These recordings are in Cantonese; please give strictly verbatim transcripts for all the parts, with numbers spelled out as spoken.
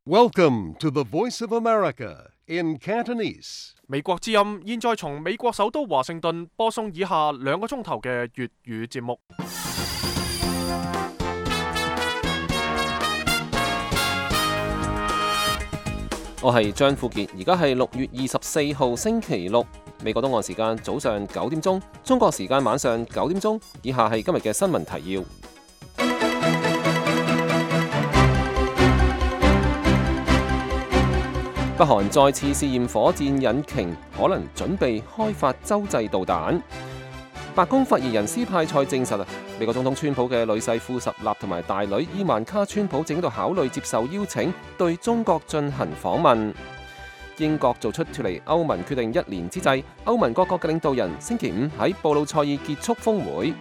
Welcome to the Voice of America in Cantonese. 美國之音現在從美國首都華盛頓播送以下兩個鐘頭嘅粵語節目。我係張富傑，而家係六月二十四號星期六，美國東岸時間早上九點鐘，中國時間晚上九點鐘。以下係今日嘅新聞提要。北韓再次試驗火箭引擎，可能準備開發洲際導彈。白宮發言人斯派塞證實啊，美國總統川普嘅女婿庫什納同埋大女伊萬卡川普正喺度考慮接受邀請，對中國進行訪問。英國做出脫離歐盟決定一年之際，歐盟各國嘅領導人星期五喺布魯塞爾結束峰會。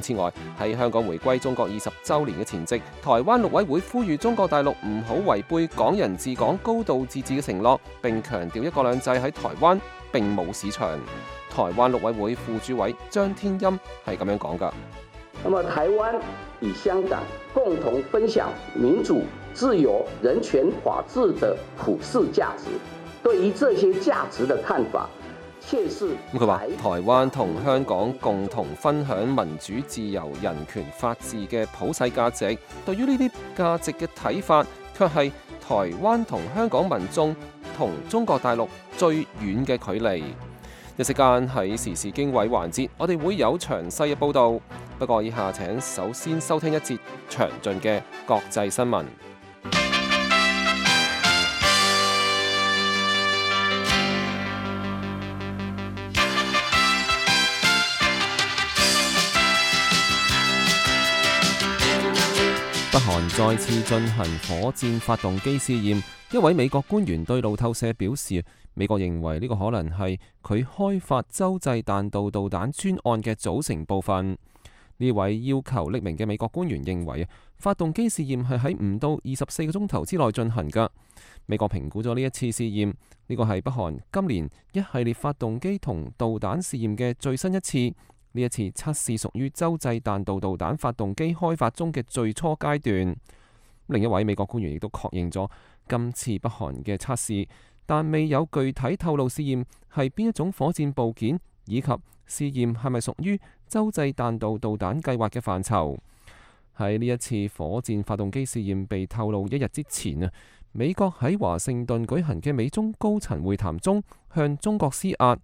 此外，喺香港回歸中國二十週年嘅前夕，台灣陸委會呼籲中國大陸唔好違背港人治港、高度自治嘅承諾，並強調一國兩制喺台灣並冇市場。台灣陸委會副主委張天欽係咁樣講㗎。那麼台灣與香港共同分享民主、自由、人權、法治的普世價值，對於這些價值的看法，確是。咁佢話台灣同香港共同分享民主、自由、人權、法治嘅普世價值，對於呢啲價值嘅睇法，卻係台灣同香港民眾同中國大陸最遠嘅距離。一時間喺時事經緯環節，我哋會有詳細嘅報導。不過以下請首先收聽一節詳盡嘅國際新聞。北韓再次進行火箭發動機試驗，一位美國官員對路透社表示，美國認為呢個可能係佢開發洲際彈道導彈專案嘅組成部分。呢位要求匿名嘅美國官員認為，發動機試驗係喺唔到二十四個鐘頭之內進行㗎。美國評估咗呢一次試驗，呢個係北韓今年一系列發動機同導彈試驗嘅最新一次。呢一次測試屬於洲際彈道導彈發動機開發中嘅最初階段。另一位美國官員亦都確認咗今次北韓嘅測試，但未有具體透露試驗係邊一種火箭部件，以及試驗係咪屬於洲際彈道導彈計劃嘅範疇。喺呢一次火箭發動機試驗被透露一日之前啊，美國喺華盛頓舉行嘅美中高層會談中向中國施壓，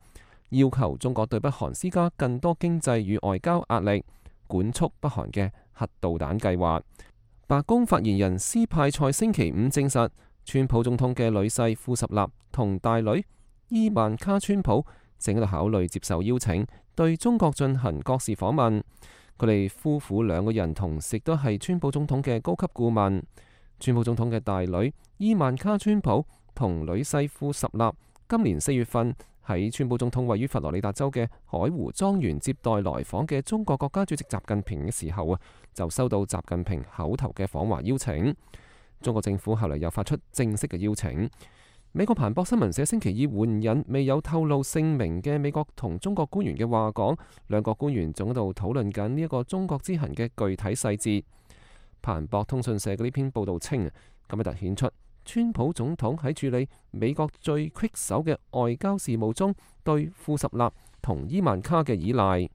要求中國對北韓施加更多經濟與外交壓力，管束北韓嘅核導彈計劃。白宮發言人斯派塞星期五證實，川普總統嘅女婿庫什納同大女伊萬卡川普正喺度考慮接受邀請，對中國進行國事訪問。佢哋夫婦兩個人同時都係川普總統嘅高級顧問。川普總統嘅大女伊萬卡川普同女婿庫什納今年四月份喺川普總統位於佛羅里達州嘅海湖莊園接待來訪嘅中國國家主席習近平嘅時候啊，就收到習近平口頭嘅訪華邀請。中國政府後嚟又發出正式嘅邀請。美國彭博新聞社星期二援引未有透露姓名嘅美國同中國官員嘅話講，兩國官員仲喺度討論緊呢一個中國之行嘅具體細節。彭博通訊社嘅呢篇報導稱，咁樣突顯出川普總統喺處理美國最棘手嘅外交事務中對庫什納同伊萬卡嘅依賴。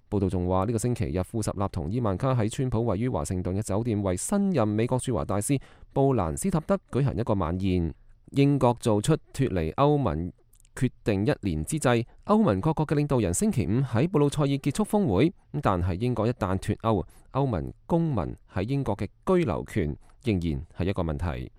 報道仲話，呢個星期日庫什納同伊萬卡喺川普位於華盛頓嘅酒店為新任美國駐華大使布蘭斯塔德舉行一個晚宴。英國做出脫離歐盟決定一年之際，歐盟各國嘅領導人星期五喺布魯塞爾結束峰會。但係英國一旦脫歐，歐盟公民喺英國嘅居留權仍然係一個問題。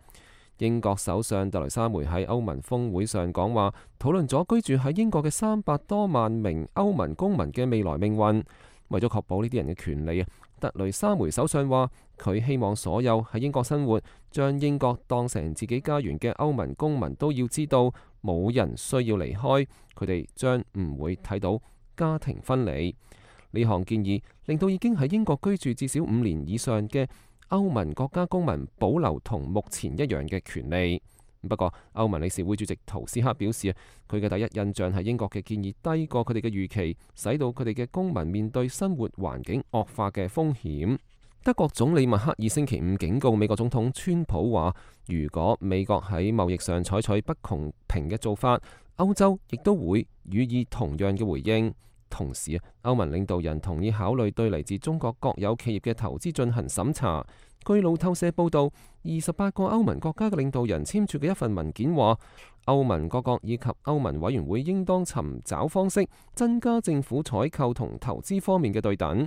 英國首相特蕾莎梅喺歐盟峰會上講話，討論咗居住喺英國嘅三百多萬名歐盟公民嘅未來命運。為咗確保呢啲人嘅權利啊，特蕾莎梅首相話佢希望所有喺英國生活、將英國當成自己家園嘅歐盟公民都要知道，冇人需要離開，佢哋將唔會睇到家庭分離。呢項建議令到已經喺英國居住至少五年以上嘅歐盟國家公民保留同目前一樣嘅權利。不過，歐盟理事會主席圖斯克表示啊，佢嘅第一印象係英國嘅建議低過佢哋嘅預期，使到佢哋嘅公民面對生活環境惡化嘅風險。德國總理默克爾星期五警告美國總統川普話，如果美國喺貿易上採取不公平嘅做法，歐洲亦都會予以同樣嘅回應。同時，歐盟領導人同意考慮對嚟自中國國有企業嘅投資進行審查。據路透社報道，二十八個歐盟國家嘅領導人簽署嘅一份文件話，歐盟各國以及歐盟委員會應當尋找方式增加政府採購同投資方面嘅對等。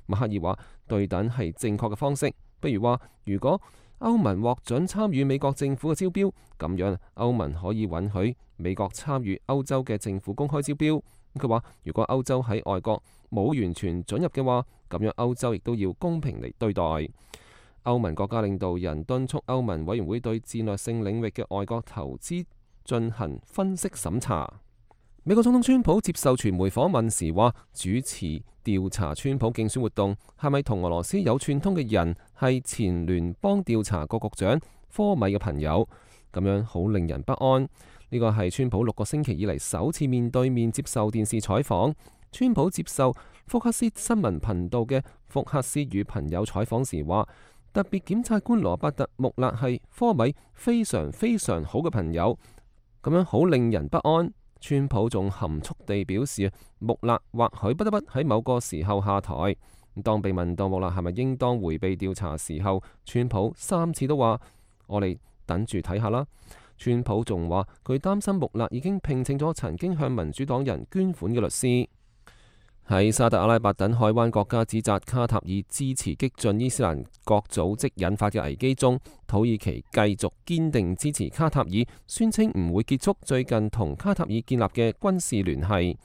默克爾話，對等係正確嘅方式，比如話，如果歐盟獲准參與美國政府嘅招標，咁樣歐盟可以允許美國參與歐洲嘅政府公開招標。佢話，如果歐洲喺外國冇完全准入嘅話，咁樣歐洲亦都要公平嚟對待。歐盟國家領導人敦促歐盟委員會對戰略性領域嘅外國投資進行分析審查。美國總統川普接受傳媒訪問時話，主持調查川普競選活動係咪同俄羅斯有串通嘅人係前聯邦調查局局長科米嘅朋友，咁樣好令人不安。呢個係川普六個星期以嚟首次面對面接受電視採訪。川普接受福克斯新聞頻道嘅福克斯與朋友採訪時話，特別檢察官羅伯特穆勒係科米非常非常好嘅朋友，咁樣好令人不安。川普仲含蓄地表示，穆勒或許不得不喺某個時候下台。當被問到穆勒係咪應當迴避調查時候，川普三次都話：我哋等住睇下啦。川普仲話佢擔心穆勒已經聘請咗曾經向民主黨人捐款嘅律師。喺沙特阿拉伯等海灣國家指責卡塔爾支持激進伊斯蘭國組織引發嘅危機中，土耳其繼續堅定支持卡塔爾，宣稱唔會結束最近同卡塔爾建立嘅軍事聯繫。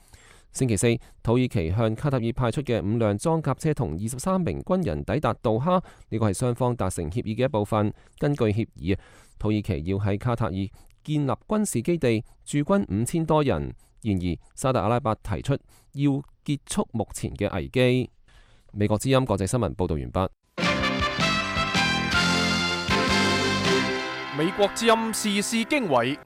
星期四，土耳其向卡塔爾派出嘅五輛裝甲車同二十三名軍人抵達杜哈，呢個係雙方達成協議嘅一部分。根據協議，土耳其要喺卡塔爾建立軍事基地，駐軍五千多人。然而，沙特阿拉伯提出要結束目前嘅危機。美國之音國際新聞報道完畢。美國之音時事經緯，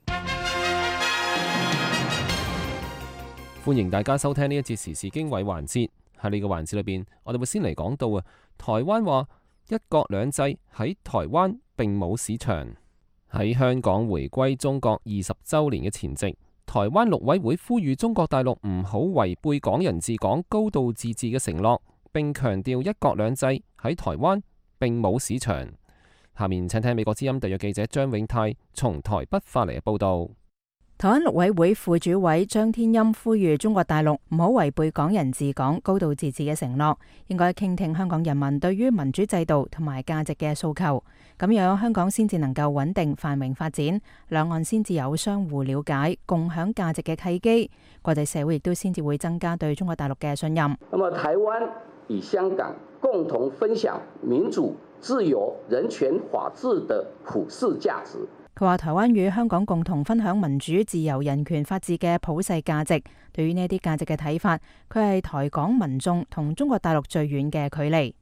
歡迎大家收聽呢一節時事經緯環節。喺呢個環節裏邊，我哋會先嚟講到啊，台灣話一國兩制喺台灣並冇市場。喺香港回歸中國二十週年嘅前夕，台灣陸委會呼籲中國大陸唔好違背港人治港、高度自治嘅承諾，並強調一國兩制喺台灣並冇市場。下面請聽美國之音特約記者張永泰從台北發嚟嘅報道。台灣陸委會副主委張天欽呼籲中國大陸唔好違背港人治港、高度自治嘅承諾，應該傾聽香港人民對於民主制度同埋價值嘅訴求，咁樣香港先至能夠穩定繁榮發展，兩岸先至有相互了解、共享價值嘅契機，國際社會亦都先至會增加對中國大陸嘅信任。那麼台灣與香港共同分享民主、自由、人權、法治的普世價值。佢話台灣與香港共同分享民主、自由、人權、法治嘅普世價值。對於呢啲價值嘅睇法，佢係台港民眾同中國大陸最遠嘅距離。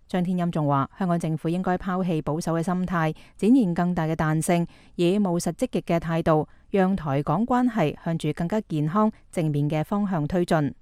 張天欽仲話，香港政府應該拋棄保守嘅心態，展現更大嘅彈性，以務實積極嘅態度，讓台港關係向住更加健康、正面嘅方向推進。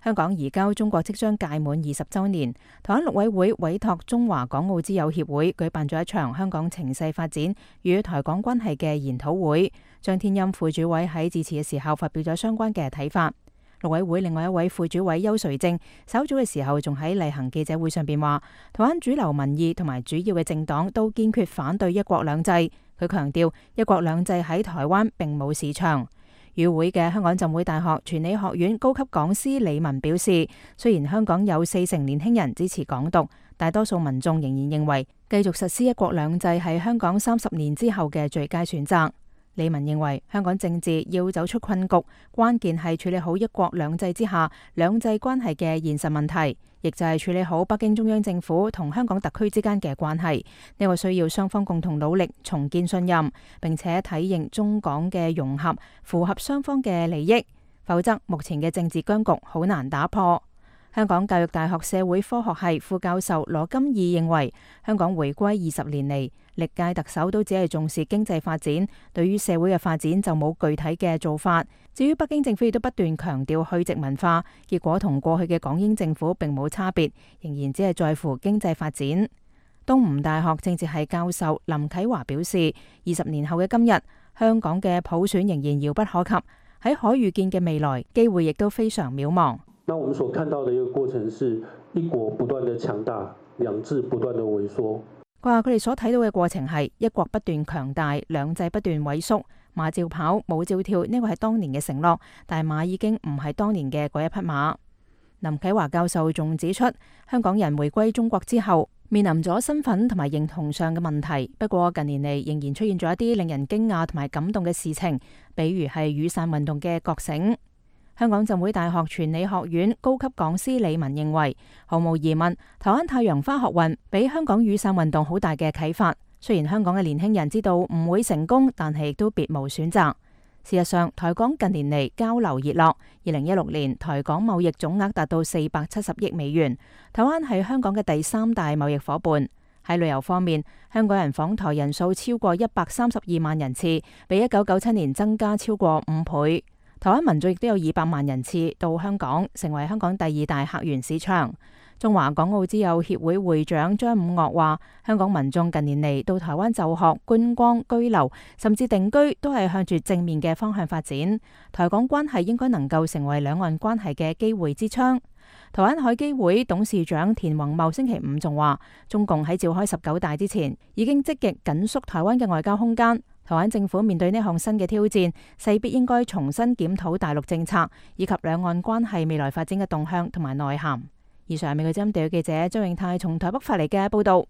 香港移交中國即將屆滿二十週年，台灣陸委會委託中華港澳之友協會舉辦咗一場香港情勢發展與台港關係嘅研討會。張天欽副主委喺致辭嘅時候發表咗相關嘅睇法。陸委會另外一位副主委邱垂正稍早嘅時候仲喺例行記者會上邊話，台灣主流民意同埋主要嘅政黨都堅決反對一國兩制。佢強調一國兩制喺台灣並冇市場。與會嘅香港浸會大學傳理學院高級講師李文表示，雖然香港有四成年輕人支持港獨，大多數民眾仍然認為繼續實施一國兩制係香港三十年之後嘅最佳選擇。李文認為香港政治要走出困局，關鍵係處理好一國兩制之下兩制關係嘅現實問題，亦就係處理好北京中央政府同香港特區之間嘅關係。呢個需要雙方共同努力重建信任，並且體認中港嘅融合符合雙方嘅利益，否則目前嘅政治僵局好難打破。香港教育大學社會科學系副教授羅金義認為，香港回歸二十年嚟，歷屆特首都只係重視經濟發展，對於社會嘅發展就冇具體嘅做法。至於北京政府亦都不斷強調去殖民化，結果同過去嘅港英政府並冇差別，仍然只係在乎經濟發展。東吳大學政治系教授林啟華表示，二十年後嘅今日，香港嘅普選仍然遙不可及，喺可預見嘅未來，機會亦都非常渺茫。那我們所看到的一個過程是一國不斷的強大，兩制不斷的萎縮。佢話佢哋所睇到嘅過程係一國不斷強大，兩制不斷萎縮，馬照跑，舞照跳，呢個係當年嘅承諾，但係馬已經唔係當年嘅嗰一匹馬。林啟華教授仲指出，香港人回歸中國之後，面臨咗身份同埋認同上嘅問題。不過近年嚟仍然出現咗一啲令人驚訝同埋感動嘅事情，比如係雨傘運動嘅覺醒。香港浸會大學傳理學院高級講師李文認為，毫無疑問，台灣太陽花學運俾香港雨傘運動好大嘅啟發。雖然香港嘅年輕人知道唔會成功，但係亦都別無選擇。事實上，台港近年嚟交流熱絡。二零一六年，台港貿易總額達到四百七十億美元。台灣係香港嘅第三大貿易夥伴。喺旅遊方面，香港人訪台人數超過一百三十二萬人次，比一九九七年增加超過五倍。台灣民眾亦都有二百萬人次到香港，成為香港第二大客源市場。中華港澳之友協會會長張五岳話，香港民眾近年嚟到台灣就學、觀光、居留，甚至定居，都係向住正面嘅方向發展。台港關係應該能夠成為兩岸關係嘅機會之窗。台灣海基會董事長田宏茂星期五仲話，中共喺召開十九大之前，已經積極緊縮台灣嘅外交空間。台灣政府面對呢項新嘅挑戰，勢必應該重新檢討大陸政策，以及兩岸關係未來發展嘅動向同埋內涵。以上係美國之音地記者張永泰從台北發嚟嘅報道。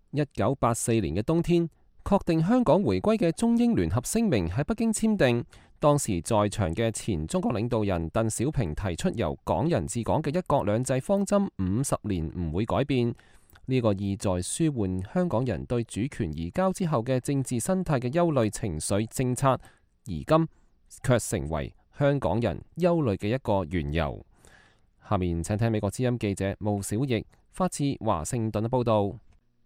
一九八四年嘅冬天，確定香港回歸嘅中英聯合聲明喺北京簽訂。當時在場嘅前中國領導人鄧小平提出由港人治港嘅一國兩制方針五十年唔會改變，呢、這個意在舒緩香港人對主權移交之後嘅政治生態嘅憂慮情緒政策，而今卻成為香港人憂慮嘅一個緣由。下面請聽美國之音記者毛小翼發自華盛頓嘅報道。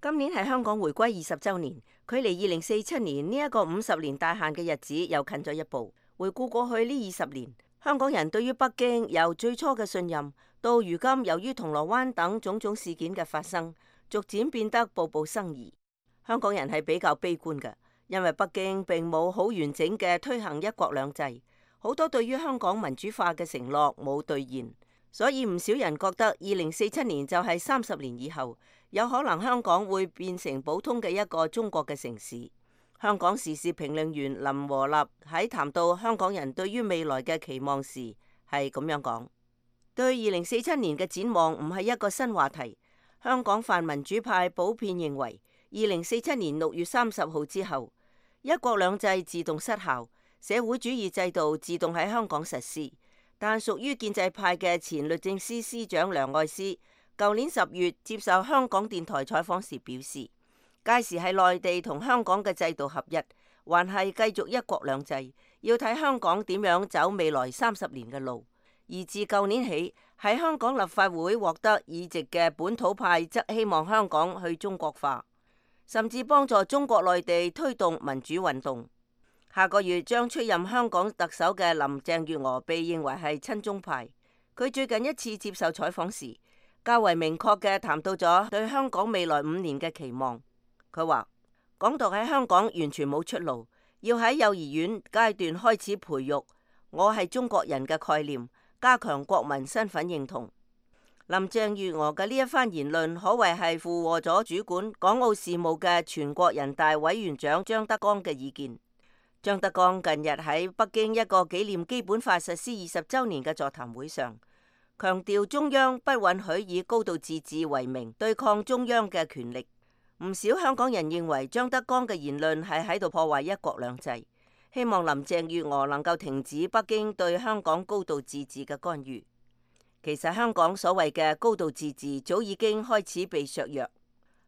今年係香港回歸二十週年，距離二零四七年呢一個五十年大限嘅日子又近咗一步。回顧過去呢二十年，香港人對於北京由最初嘅信任，到如今由於銅鑼灣等種種事件嘅發生，逐漸變得步步生疑。香港人係比較悲觀嘅，因為北京並冇好完整嘅推行一國兩制，好多對於香港民主化嘅承諾冇兌現，所以唔少人覺得二零四七年就係三十年以後，有可能香港會變成普通嘅一個中國嘅城市。香港時事評論員林和立喺談到香港人對於未來嘅期望時，係咁樣講：對二零四七年嘅展望唔係一個新話題。香港泛民主派普遍認為，二零四七年六月三十號之後，一國兩制自動失效，社會主義制度自動喺香港實施。但屬於建制派嘅前律政司司長梁愛詩，舊年十月接受香港電台採訪時表示，屆時係內地同香港嘅制度合一，還係繼續一國兩制，要睇香港點樣走未來三十年嘅路。而自舊年起，喺香港立法會獲得議席嘅本土派則希望香港去中國化，甚至幫助中國內地推動民主運動。下個月將出任香港特首嘅林鄭月娥被認為係親中派。佢最近一次接受採訪時，較為明確嘅談到咗對香港未來五年嘅期望。佢話：港獨喺香港完全冇出路，要喺幼兒園階段開始培育我係中國人嘅概念，加強國民身份認同。林鄭月娥嘅呢一番言論可謂係附和咗主管港澳事務嘅全國人大委員長張德江嘅意見。張德江近日喺北京一個紀念基本法實施二十週年嘅座談會上，強調中央不允許以高度自治為名對抗中央嘅權力。唔少香港人認為張德江嘅言論係喺度破壞一國兩制，希望林鄭月娥能夠停止北京對香港高度自治嘅干預。其實香港所謂嘅高度自治早已經開始被削弱。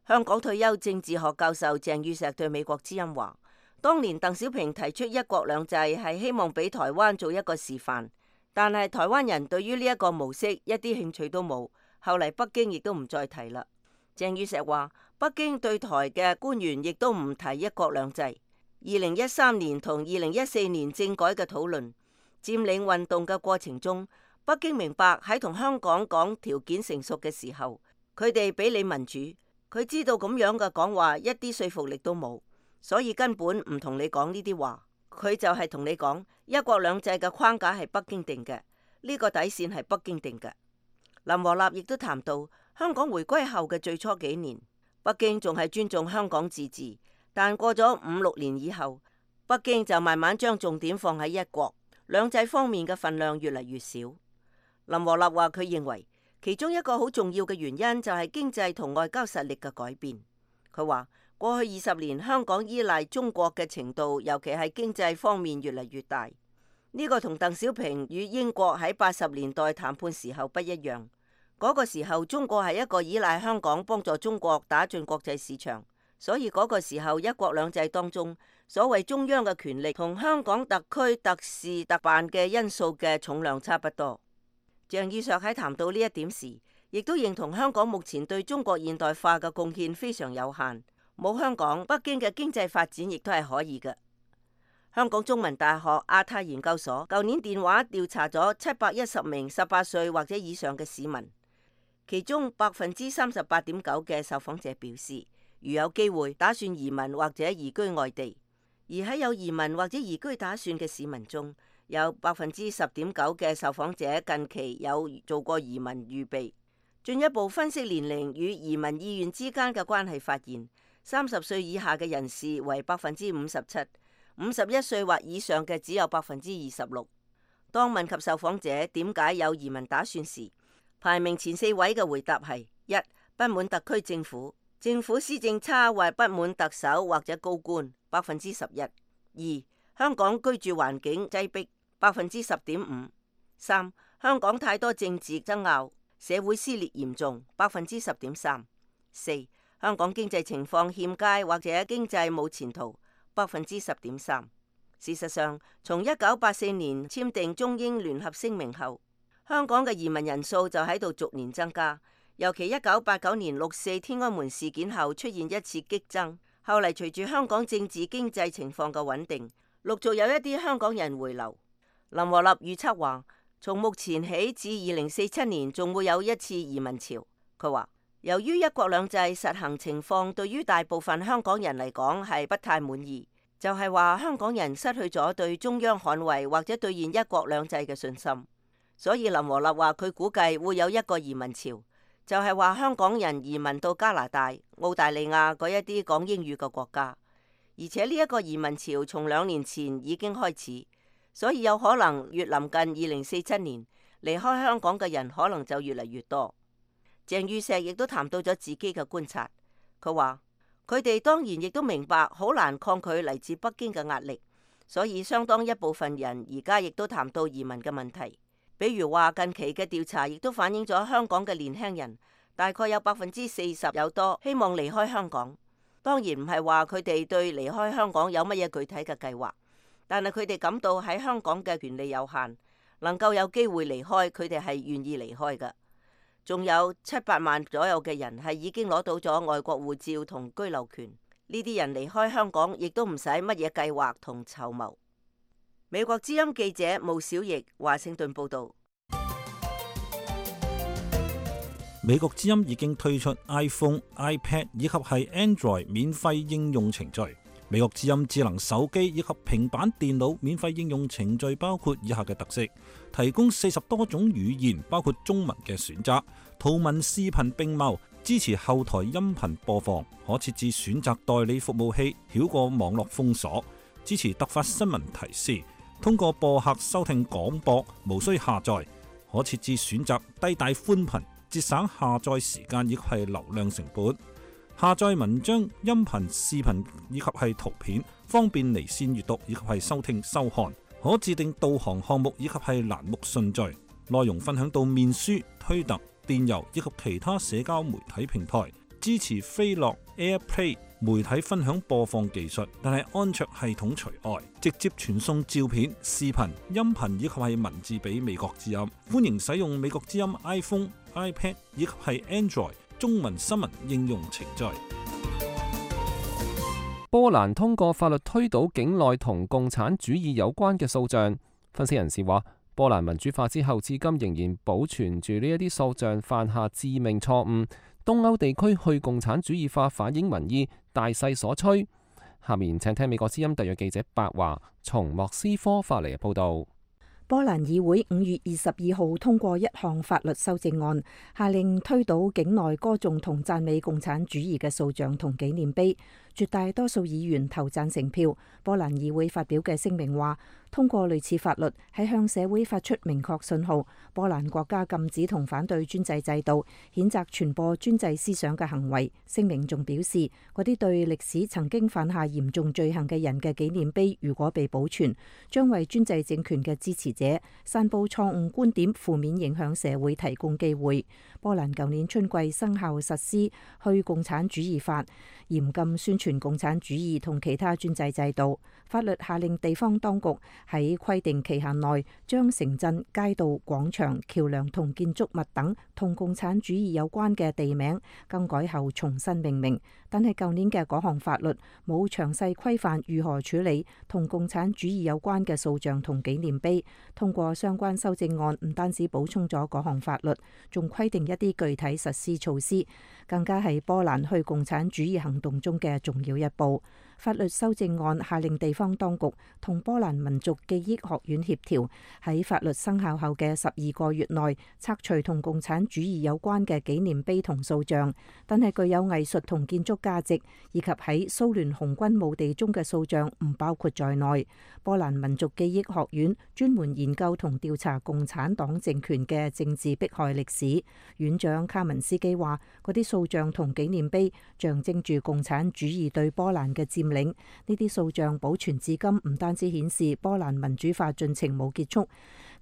香港退休政治學教授鄭宇碩對美國之音話：當年鄧小平提出一國兩制係希望俾台灣做一個示範，但係台灣人對於呢一個模式一啲興趣都冇，後嚟北京亦都唔再提啦。鄭宇碩話：北京對台嘅官員亦都唔提一國兩制。二零一三年同二零一四年政改嘅討論、佔領運動嘅過程中，北京明白喺同香港講條件成熟嘅時候，佢哋俾你民主，佢知道咁樣嘅講話一啲說服力都冇，所以根本唔同你講呢啲話。佢就係同你講一國兩制嘅框架係北京定嘅，呢個底線係北京定嘅。林和立亦都談到香港回歸後嘅最初幾年，北京仲係尊重香港自治，但過咗五六年以後，北京就慢慢將重點放喺一國兩制方面嘅份量越嚟越少。林和立話佢認為其中一個好重要嘅原因就係經濟同外交實力嘅改變。佢話過去二十年香港依賴中國嘅程度，尤其係經濟方面越嚟越大。呢個同鄧小平與英國喺八十年代談判時候不一樣。嗰個時候中國係一個依賴香港幫助中國打進國際市場，所以嗰個時候一國兩制當中，所謂中央嘅權力同香港特區特事特辦嘅因素嘅重量差不多。鄭宇碩喺談到呢一點時，亦都認同香港目前對中國現代化嘅貢獻非常有限，冇香港，北京嘅經濟發展亦都係可以嘅。香港中文大學亞太研究所舊年電話調查咗七百一十名十八歲或者以上嘅市民，其中百分之三十八點九嘅受訪者表示，如有機會打算移民或者移居外地。而喺有移民或者移居打算嘅市民中，有百分之十點九嘅受訪者近期有做過移民預備。進一步分析年齡與移民意願之間嘅關係，發現三十歲以下嘅人士為百分之五十七，五十一歲或以上嘅只有百分之二十六。當問及受訪者點解有移民打算時，排名前四位嘅回答係：一、不滿特區政府，政府施政差或不滿特首或者高官，百分之十一；二、香港居住環境擠迫，百分之十點五；三、香港太多政治爭拗，社會撕裂嚴重，百分之十點三；四、香港經濟情況欠佳或者經濟冇前途，百分之十點三。事實上，從一九八四年簽訂中英聯合聲明後，香港嘅移民人數就喺度逐年增加，尤其一九八九年六四天安門事件後出現一次激增，後嚟隨住香港政治經濟情況嘅穩定，陸續有一啲香港人回流。林和立預測話，從目前起至二零四七年仲會有一次移民潮。佢話，由於一國兩制實行情況對於大部分香港人嚟講係不太滿意，就係話香港人失去咗對中央捍衛或者兌現一國兩制嘅信心。所以林和立話佢估計會有一個移民潮，就係話香港人移民到加拿大、澳大利亞嗰一啲講英語嘅國家，而且呢一個移民潮從兩年前已經開始，所以有可能越臨近二零四七年，離開香港嘅人可能就越嚟越多。鄭宇碩亦都談到咗自己嘅觀察，佢話佢哋當然亦都明白好難抗拒嚟自北京嘅壓力，所以相當一部分人而家亦都談到移民嘅問題。比如話近期嘅調查亦都反映咗香港嘅年輕人大概有百分之四十有多希望離開香港。當然唔係話佢哋對離開香港有乜嘢具體嘅計劃，但係佢哋感到喺香港嘅權利有限，能夠有機會離開，佢哋係願意離開嘅。仲有七百萬左右嘅人係已經攞到咗外國護照同居留權，呢啲人離開香港亦都唔使乜嘢計劃同籌謀。美國之音記者毛小翼華盛頓報道。美國之音已經推出 iPhone、iPad 以及係 Android 免費應用程序。美國之音智能手機以及平板電腦免費應用程序包括以下嘅特色：提供四十多種語言，包括中文嘅選擇，圖文視頻並茂，支持後台音頻播放，可設置選擇代理服務器，繞過網絡封鎖，支持突發新聞提示。通過播客收聽廣播，無需下載，可設置選擇低帶寬頻，節省下載時間以及係流量成本。下載文章、音頻、視頻以及係圖片，方便離線閱讀以及係收聽收看。可自定導航項目以及係欄目順序，內容分享到面書、推特、電郵以及其他社交媒體平台。支持飛樂 AirPlay 媒體分享播放技術，但係安卓系統除外，直接傳送照片、視頻、音頻以及係文字俾美國之音。歡迎使用美國之音 iPhone、iPad 以及係 Android 中文新聞應用程序。波蘭通過法律推倒境內同共產主義有關嘅塑像。分析人士話，波蘭民主化之後，至今仍然保存住呢一啲塑像犯下致命錯誤。東歐地區去共產主義化反映民意，大勢所趨。下面請聽美國之音特約記者白華從莫斯科發嚟嘅報導。波蘭議會五月二十二號通過一項法律修正案，下令推倒境內歌頌同讚美共產主義嘅塑像同紀念碑。絕大多數議員投贊成票。波蘭議會發表嘅聲明話，通過類似法律係向社會發出明確信號。波蘭國家禁止同反對專制制度，譴責傳播專制思想嘅行為。聲明仲表示，嗰啲對歷史曾經犯下嚴重罪行嘅人嘅紀念碑，如果被保存，將為專制政權嘅支持者散佈錯誤觀點、負面影響社會提供機會。波蘭舊年春季生效實施去共產主義法，嚴禁宣傳共產主義同其他專制制度。法律下令地方當局喺規定期限內將城鎮、街道、廣場、橋樑同建築物等同共產主義有關嘅地名更改後重新命名。但係舊年嘅嗰項法律冇詳細規範如何處理同共產主義有關嘅塑像同紀念碑。通過相關修正案，唔單止補充咗嗰項法律，仲規定一啲具體實施措施，更加係波蘭去共產主義行動中嘅重要一步。法律修正案下令地方當局同波蘭民族記憶學院協調，喺法律生效後嘅十二個月內拆除同共產主義有關嘅紀念碑同塑像，但係具有藝術同建築價值以及喺蘇聯紅軍墓地中嘅塑像唔包括在內。波蘭民族記憶學院專門研究同調查共產黨政權嘅政治迫害歷史，院長卡文斯基話，嗰啲塑像同紀念碑象徵住共產主義對波蘭嘅佔領。呢啲塑像保存至今，唔單止顯示波蘭民主化進程冇結束，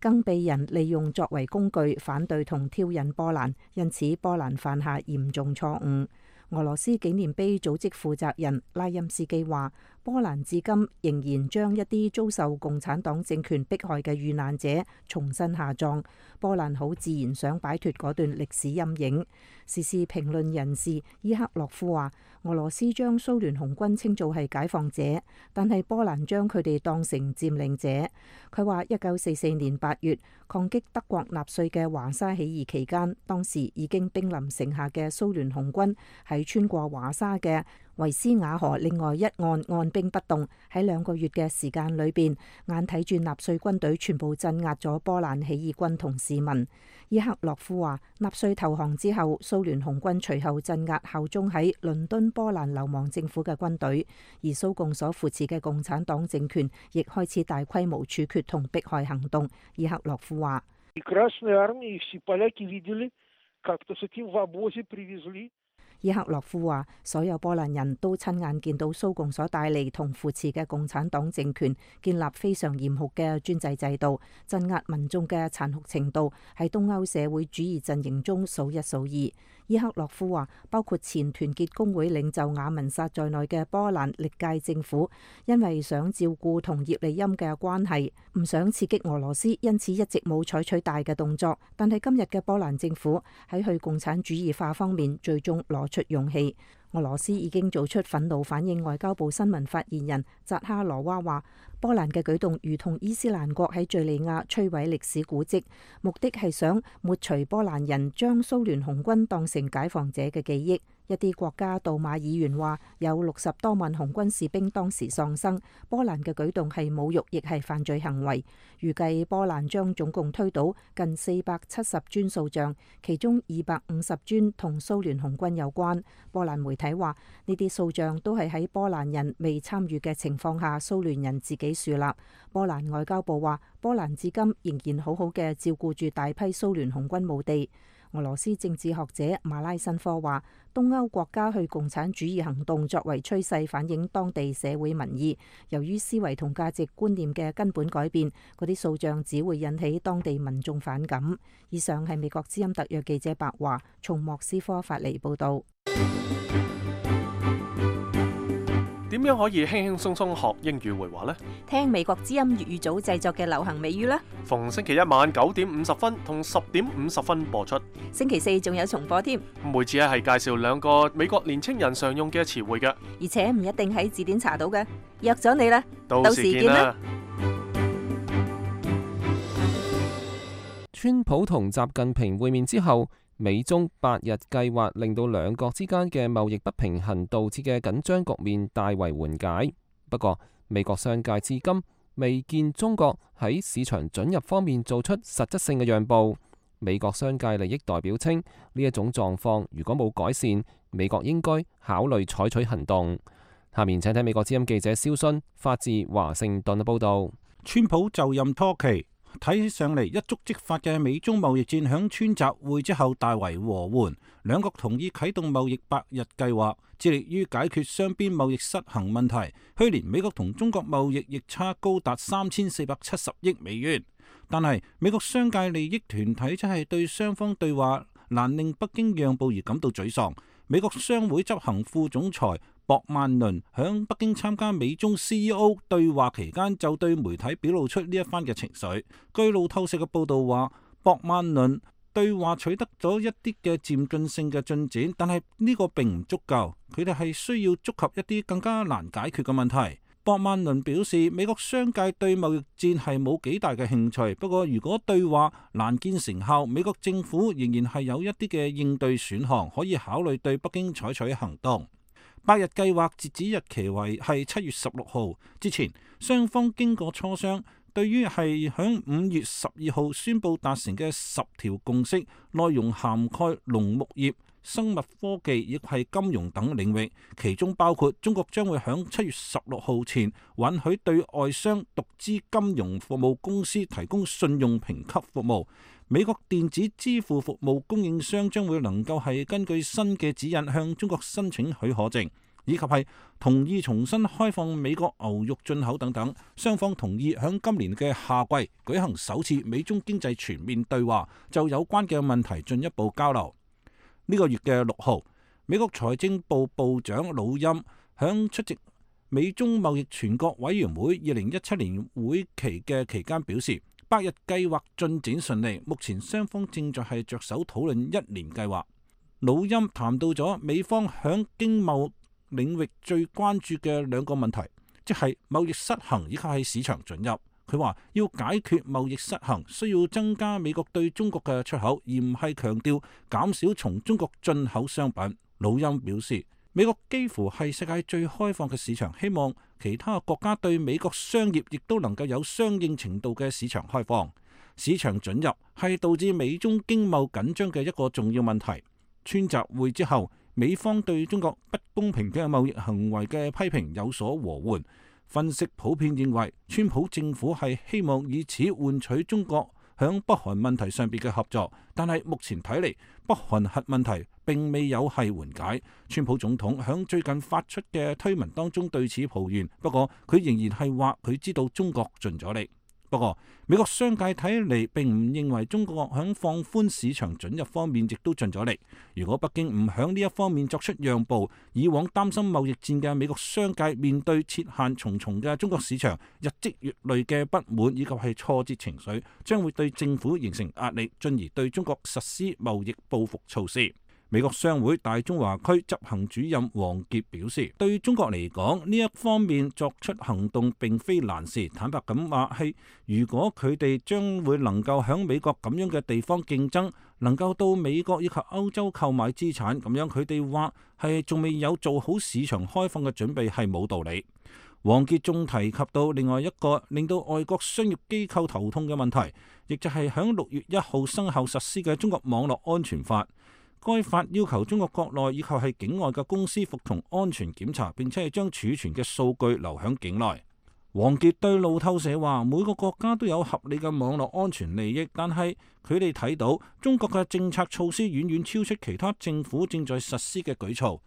更被人利用作為工具反對同挑釁波蘭，因此波蘭犯下嚴重錯誤。俄羅斯紀念碑組織負責人拉欽斯基話，波蘭至今仍然將一啲遭受共產黨政權迫害嘅遇難者重新下葬。波蘭好自然想擺脫嗰段歷史陰影。時事評論人士伊克洛夫話，俄羅斯將蘇聯紅軍稱做係解放者，但係波蘭將佢哋當成佔領者。佢話一九四四年八月抗擊德國納粹嘅華沙起義期間，當時已經兵臨城下嘅蘇聯紅軍喺穿過華沙嘅維斯瓦河另外一岸按兵不動，喺兩個月嘅時間裏邊，眼睇住納粹軍隊全部鎮壓咗波蘭起義軍同市民。伊克洛夫話，納粹投降之後，蘇聯紅軍隨後鎮壓效忠喺倫敦波蘭流亡政府嘅軍隊，而蘇共所扶持嘅共產黨政權亦開始大規模處決同迫害行動。伊克洛夫話，伊克洛夫話，所有波蘭人都親眼見到蘇共所帶嚟同扶持嘅共產黨政權建立非常嚴酷嘅專制制度，鎮壓民眾嘅殘酷程度喺東歐社會主義陣營中數一數二。伊克洛夫話，包括前團結工會領袖雅文薩在內嘅波蘭歷屆政府，因為想照顧同葉利欽嘅關係，唔想刺激俄羅斯，因此一直冇採取大嘅動作。但係今日嘅波蘭政府喺去共產主義化方面，最終攞出勇氣。俄羅斯已經做出憤怒反應。外交部新聞發言人扎哈羅娃話，波蘭嘅舉動如同伊斯蘭國喺敘利亞摧毀歷史古蹟，目的係想抹除波蘭人將蘇聯紅軍當成解放者嘅記憶。一啲國家杜馬議員話，有六十多萬紅軍士兵當時喪生，波蘭嘅舉動係侮辱，亦係犯罪行為。預計波蘭將總共推倒近四百七十尊塑像，其中二百五十尊同蘇聯紅軍有關。波蘭媒體話，呢啲塑像都係喺波蘭人未參與嘅情況下，蘇聯人自己樹立。波蘭外交部話，波蘭至今仍然好好嘅照顧住大批蘇聯紅軍墓地。俄羅斯政治學者馬拉申科話，東歐國家去共產主義行動作為趨勢，反映當地社會民意。由於思維同價值觀念嘅根本改變，嗰啲塑像只會引起當地民眾反感。以上係美國之音特約記者白華從莫斯科發嚟報道。點樣可以輕輕鬆鬆學英語會話呢？聽美國之音粵語組製作嘅流行美語啦。逢星期一晚九點五十分同十點五十分播出。星期四仲有重播添。每次係介紹兩個美國年青人常用嘅詞彙嘅，而且唔一定喺字典查到嘅。約咗你啦，到時見啦。川普同習近平會面之後，美中八日計劃令到兩國之間嘅貿易不平衡導致嘅緊張局面大為緩解。不過，美國商界至今未見中國喺市場准入方面做出實質性嘅讓步。美國商界利益代表稱，呢一種狀況如果冇改善，美國應該考慮採取行動。下面請睇美國之音記者蕭勳發自華盛頓嘅報道。川普就任初期，睇起上嚟一觸即發嘅美中貿易戰響川習會之後大為和緩，兩國同意啟動貿易百日計劃，致力於解決雙邊貿易失衡問題。去年美國同中國貿易逆差高達三千四百七十億美元，但係美國商界利益團體則係對雙方對話難令北京讓步而感到沮喪。美國商會執行副總裁博曼倫響北京參加美中 C E O 對話期間，就對媒體表露出呢一番嘅情緒。據路透社嘅報道話，博曼倫對話取得咗一啲嘅漸進性嘅進展，但係呢個並唔足夠，佢哋係需要觸及一啲更加難解決嘅問題。博曼倫表示，美國商界對貿易戰係冇幾大嘅興趣，不過如果對話難見成效，美國政府仍然係有一啲嘅應對選項，可以考慮對北京採取行動。百日計劃截止日期為係七月十六號之前，雙方經過磋商，對於係響五月十二號宣布達成嘅十條共識，內容涵蓋農牧業、生物科技亦係金融等領域，其中包括中國將會響七月十六號前允許對外商獨資金融服務公司提供信用評級服務。美國電子支付服務供應商將會能夠係根據新嘅指引向中國申請許可證，以及係同意重新開放美國牛肉進口等等。雙方同意響今年嘅夏季舉行首次美中經濟全面對話，就有關嘅問題進一步交流。呢個月嘅六號，美國財政部部長魯欽響出席美中貿易全國委員會二零一七年會期嘅期間表示，百日計劃進展順利，目前雙方正在係着手討論一年計劃。魯欽談到咗美方響經貿領域最關注嘅兩個問題，即係貿易失衡以及係市場准入。佢話要解決貿易失衡，需要增加美國對中國嘅出口，而唔係強調減少從中國進口商品。魯欽表示，美國幾乎係世界最開放嘅市場，希望其他國家對美國商業亦都能夠有相應程度嘅市場開放。市場准入係導致美中經貿緊張嘅一個重要問題。川習會之後，美方對中國不公平嘅貿易行為嘅批評有所和緩。分析普遍認為，川普政府係希望以此換取中國響北韓問題上邊嘅合作，但係目前睇嚟，北韓核問題並未有係緩解。川普總統響最近發出嘅推文當中對此抱怨，不過佢仍然係話佢知道中國盡咗力。不過美國商界睇嚟並唔認為中國響放寬市場准入方面亦都盡咗力。如果北京唔響呢一方面作出讓步，以往擔心貿易戰嘅美國商界面對設限重重嘅中國市場，日積月累嘅不滿以及係挫折情緒，將會對政府形成壓力，進而對中國實施貿易報復措施。美國商會大中華區執行主任王傑表示，對於中國嚟講，呢一方面作出行動並非難事。坦白咁話係，如果佢哋將會能夠響美國咁樣嘅地方競爭，能夠到美國以及歐洲購買資產，咁樣佢哋話係仲未有做好市場開放嘅準備係冇道理。王傑仲提及到另外一個令到外國商業機構頭痛嘅問題，亦就係響六月一號生效實施嘅中國網絡安全法。該法要求中國國內以及係境外嘅公司服從安全檢查，並且係將儲存嘅數據留響境內。王傑對路透社話：每個國家都有合理嘅網絡安全利益，但係佢哋睇到中國嘅政策措施遠遠超出其他政府正在實施嘅舉措。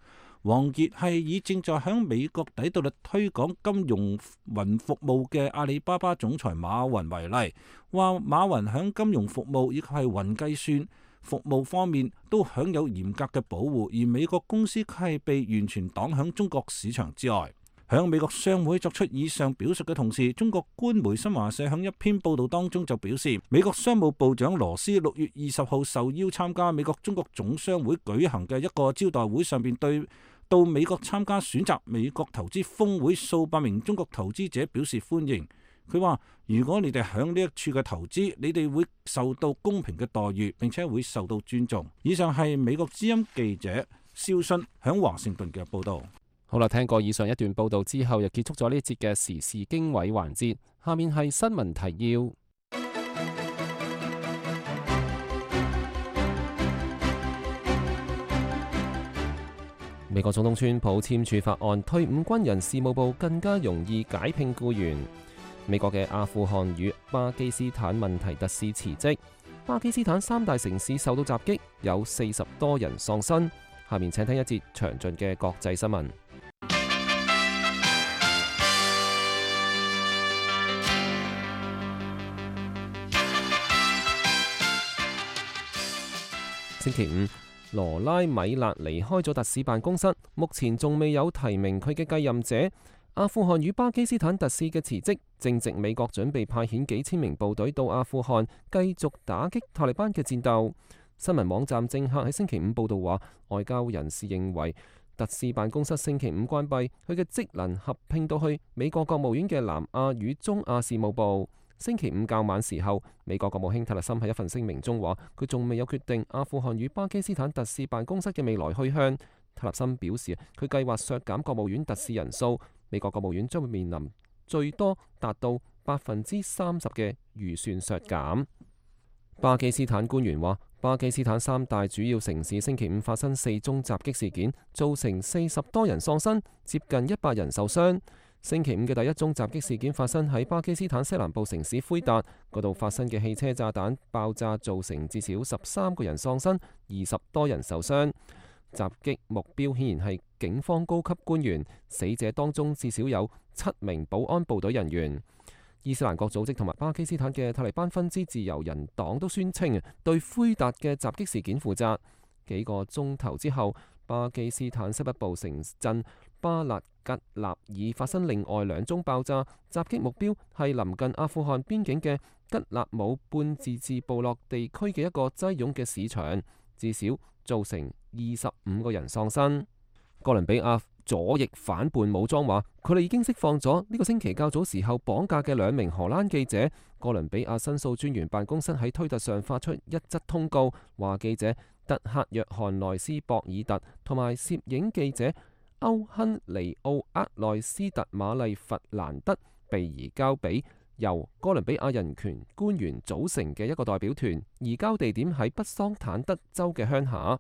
王傑係以正在響美國底特律推廣金融雲服務嘅阿里巴巴總裁馬雲為例，話馬雲響金融服務以及係雲計算服務方面都享有嚴格嘅保護，而美國公司係被完全擋響中國市場之外。響美國商會作出以上表述嘅同時，中國官媒新華社響一篇報道當中就表示，美國商務部長羅斯六月二十號受邀參加美國中國總商會舉行嘅一個招待會上邊，對到美國參加選擇美國投資峰會數百名中國投資者表示歡迎。佢話：如果你哋響呢一處嘅投資，你哋會受到公平嘅待遇，並且會受到尊重。以上係美國之音記者肖迅響華盛頓嘅報道。好啦，聽過以上一段報道之後，又結束咗呢一節嘅時事經緯環節。下面係新聞提要。美國總統川普簽署法案，退伍軍人事務部更加容易解聘僱員。美國嘅阿富汗與巴基斯坦問題特使辭職。巴基斯坦三大城市受到襲擊，有四十多人喪生。下面請聽一節詳盡嘅國際新聞。星期五，羅拉米勒離開咗特使辦公室，目前仲未有提名佢嘅繼任者。阿富汗與巴基斯坦特使嘅辭職，正值美國準備派遣幾千名部隊到阿富汗，繼續打擊塔利班嘅戰鬥。新聞網站政客喺星期五報道話，外交人士認為特使辦公室星期五關閉，佢嘅職能合併到去美國國務院嘅南亞與中亞事務部。星期五較晚時候，美國國務卿塔勒森喺一份聲明中話，佢仲未有決定阿富汗與巴基斯坦特使辦公室嘅未來去向。塔勒森表示，佢計劃削減國務院特使人數，美國國務院將會面臨最多達到百分之三十嘅預算削減。巴基斯坦官員話，巴基斯坦三大主要城市星期五發生四宗襲擊事件，造成四十多人喪生，接近一百人受傷。星期五嘅第一宗襲擊事件發生喺巴基斯坦西南部城市奎達，嗰度發生嘅汽車炸彈爆炸造成至少十三個人喪生，二十多人受傷。襲擊目標顯然係警方高級官員，死者當中至少有七名保安部隊人員。伊斯蘭國組織同埋巴基斯坦嘅塔利班分支自由人黨都宣稱對奎達嘅襲擊事件負責。幾個鐘頭之後，巴基斯坦西北部城鎮巴勒吉納爾發生另外兩宗爆炸，襲擊目標係臨近阿富汗邊境嘅吉納姆半自治部落地區嘅一個擠擁嘅市場，至少造成二十五個人喪生。哥倫比亞左翼反叛武裝話，佢哋已經釋放咗呢個星期較早時候綁架嘅兩名荷蘭記者。哥倫比亞申訴專員辦公室喺推特上發出一則通告，話記者特克約翰內斯博爾特同埋攝影記者歐亨尼奧厄內斯特瑪麗弗蘭德被移交俾由哥倫比亞人權官員組成嘅一個代表團，移交地點喺北桑坦德州嘅鄉下。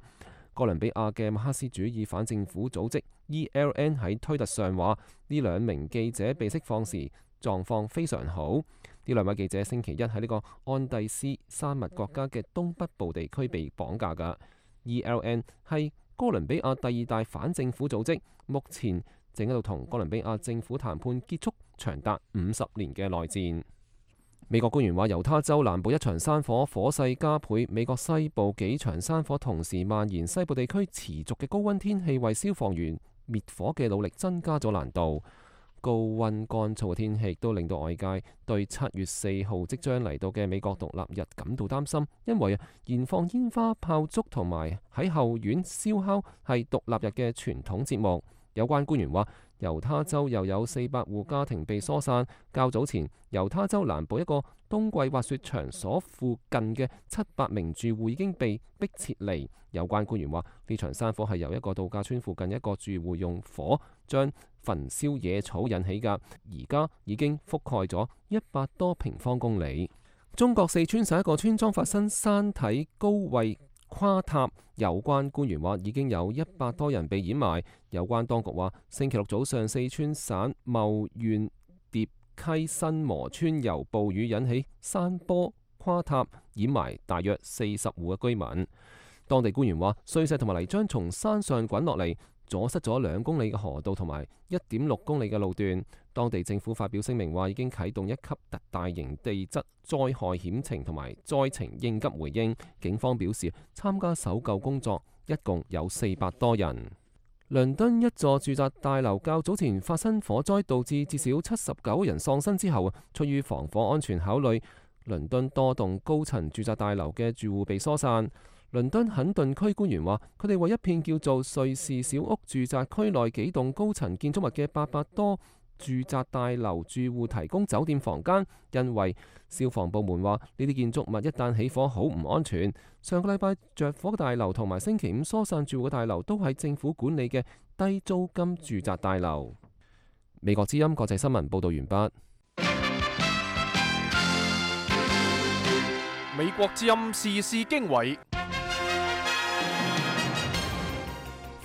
哥倫比亞嘅馬克思主義反政府組織 E L N 喺推特上話，呢兩名記者被釋放時狀況非常好。呢兩位記者星期一喺呢個安第斯山脈國家嘅東北部地區被綁架㗎。E L N 係哥倫比亞第二大反政府組織，目前正喺度同哥倫比亞政府談判結束長達五十年嘅內戰。美國官員話，猶他州南部一場山火火勢加倍，美國西部幾場山火同時蔓延，西部地區持續嘅高溫天氣為消防員滅火嘅努力增加咗難度。高溫乾燥嘅天氣都令到外界對七月四號即將嚟到嘅美國獨立日感到擔心，因為燃放煙花炮竹同埋喺後院燒烤係獨立日嘅傳統節目。有關官員話，猶他州又有四百戶家庭被疏散。較早前，猶他州南部一個冬季滑雪場所附近嘅七百名住戶已經被迫撤離。有關官員話，呢場山火係由一個度假村附近一個住戶用火將焚燒野草引起㗎，而家已經覆蓋咗一百多平方公里。中國四川省一個村莊發生山體高位垮塌，有關官員話已經有一百多人被掩埋。有關當局話，星期六早上四川省茂縣疊溪新磨村由暴雨引起山坡垮塌，掩埋大約四十戶嘅居民。當地官員話，碎石同埋泥漿從山上滾落嚟，阻塞咗兩公里嘅河道同埋一點六公里嘅路段。當地政府發表聲明話，已經啟動一級特大型地質災害險情同埋災情應急回應。警方表示，參加搜救工作一共有四百多人。倫敦一座住宅大樓較早前發生火災，導致至少七十九人喪生之後，出於防火安全考慮，倫敦多棟高層住宅大樓嘅住戶被疏散。倫敦肯頓區官員話，佢哋為一片叫做瑞士小屋住宅區內幾棟高層建築物嘅八百多住宅大樓住戶提供酒店房間，因為消防部門話呢啲建築物一旦起火好唔安全。上個禮拜着火嘅大樓同埋星期五疏散住戶嘅大樓都係政府管理嘅低租金住宅大樓。美國之音國際新聞報道完畢。美國之音時事經緯，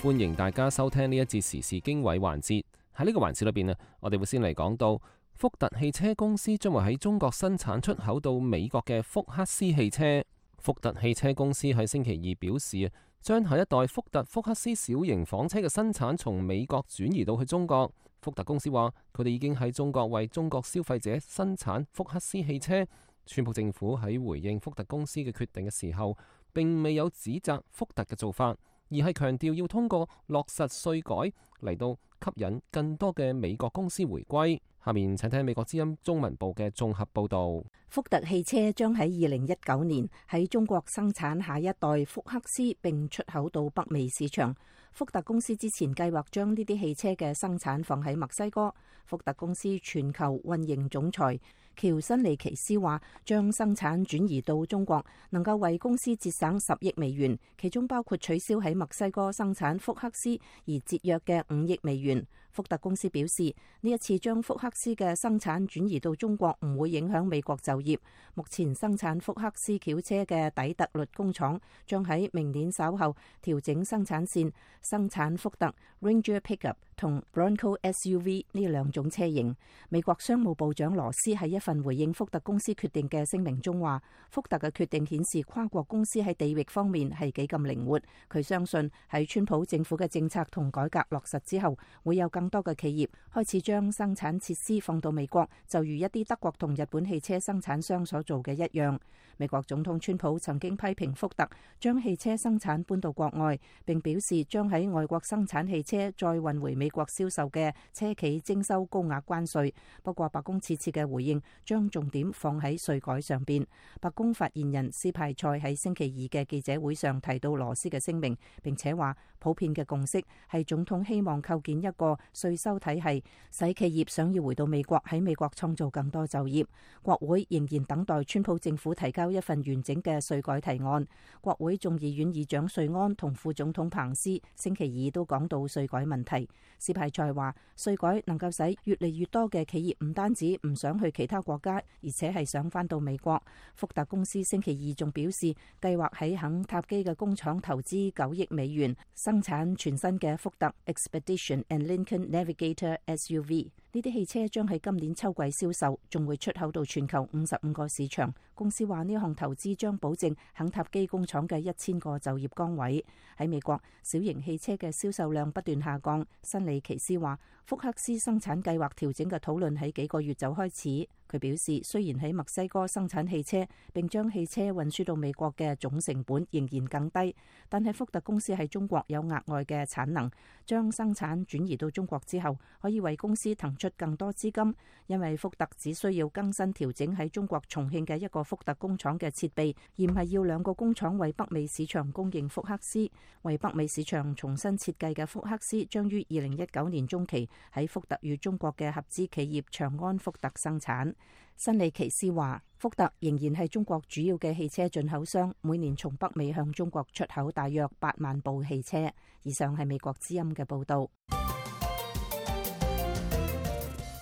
歡迎大家收聽呢一節時事經緯環節。喺呢個環節裏邊啊，我哋會先嚟講到福特汽車公司將會喺中國生產出口到美國嘅福克斯汽車。福特汽車公司喺星期二表示啊，將下一代福特福克斯小型房車嘅生產從美國轉移到去中國。福特公司話，佢哋已經喺中國為中國消費者生產福克斯汽車。川普政府喺回應福特公司嘅決定嘅時候，並未有指責福特嘅做法，而係強調要通過落實稅改嚟到吸引更多嘅美國公司回歸。下面請聽美國之音中文部嘅綜合報道。福特汽車將喺二零一九年喺中國生產下一代福克斯，並出口到北美市場。福特公司之前計劃將呢啲汽車嘅生產放喺墨西哥。福特公司全球運營總裁喬辛尼奇斯話，將生產轉移到中國能夠為公司節省十億美元，其中包括取消喺墨西哥生產福克斯而節約嘅五億美元。福特公司表示，呢一次將福克斯嘅生產轉移到中國唔會影響美國就業。目前生產福克斯轎車嘅底特律工廠將喺明年稍後調整生產線，生產福特 Ranger Pickup 同 Bronco S U V 呢兩種車型。美國商務部長羅斯喺一份回應福特公司決定嘅聲明中話，福特嘅決定顯示跨國公司喺地域方面係幾咁靈活。佢相信喺川普政府嘅政策同改革落實之後，會有更多嘅企業開始將生產設施放到美國，就如一啲德國同日本汽車生產商所做嘅一樣。美國總統川普曾經批評福特將汽車生產搬到國外，並表示將喺外國生產汽車再運回美國銷售嘅車企徵收高額關稅。不過白宮此次嘅回應將重點放喺稅改上邊。白宮發言人斯派塞喺星期二嘅記者會上提到羅斯嘅聲明，並且話普遍嘅共識係總統希望構建一個稅收體系，使企業想要回到美國喺美國創造更多就業。國會仍然等待川普政府提交一份完整嘅稅改提案。國會眾議院議長瑞安同副總統彭斯星期二都講到稅改問題。斯派塞話，稅改能夠使越嚟越多嘅企業唔單止唔想去其他國家，而且係想返到美國。福特公司星期二仲表示，計劃喺肯塔基嘅工廠投資九億美元，生產全新嘅福特 Expedition and Lincoln Navigator S U V。呢啲汽車將喺今年秋季銷售，仲會出口到全球五十五個市場。公司話呢項投資將保證肯塔基工廠嘅一千個就業崗位。喺美國，小型汽車嘅銷售量不斷下降。辛里奇斯話，福克斯生產計劃調整嘅討論喺幾個月就開始。佢表示，雖然喺墨西哥生產汽車並將汽車運輸到美國嘅總成本仍然更低，但係福特公司喺中國有額外嘅產能，將生產轉移到中國之後，可以為公司騰出更多資金，因為福特只需要更新調整喺中國重慶嘅一個福特工廠嘅設備，而唔係要兩個工廠為北美市場供應福克斯。為北美市場重新設計嘅福克斯將於二零一九年中期喺福特與中國嘅合資企業長安福特生產。辛里奇斯話，福特仍然係中國主要嘅汽車進口商，每年從北美向中國出口大約八萬部汽車。以上係美國之音嘅報道。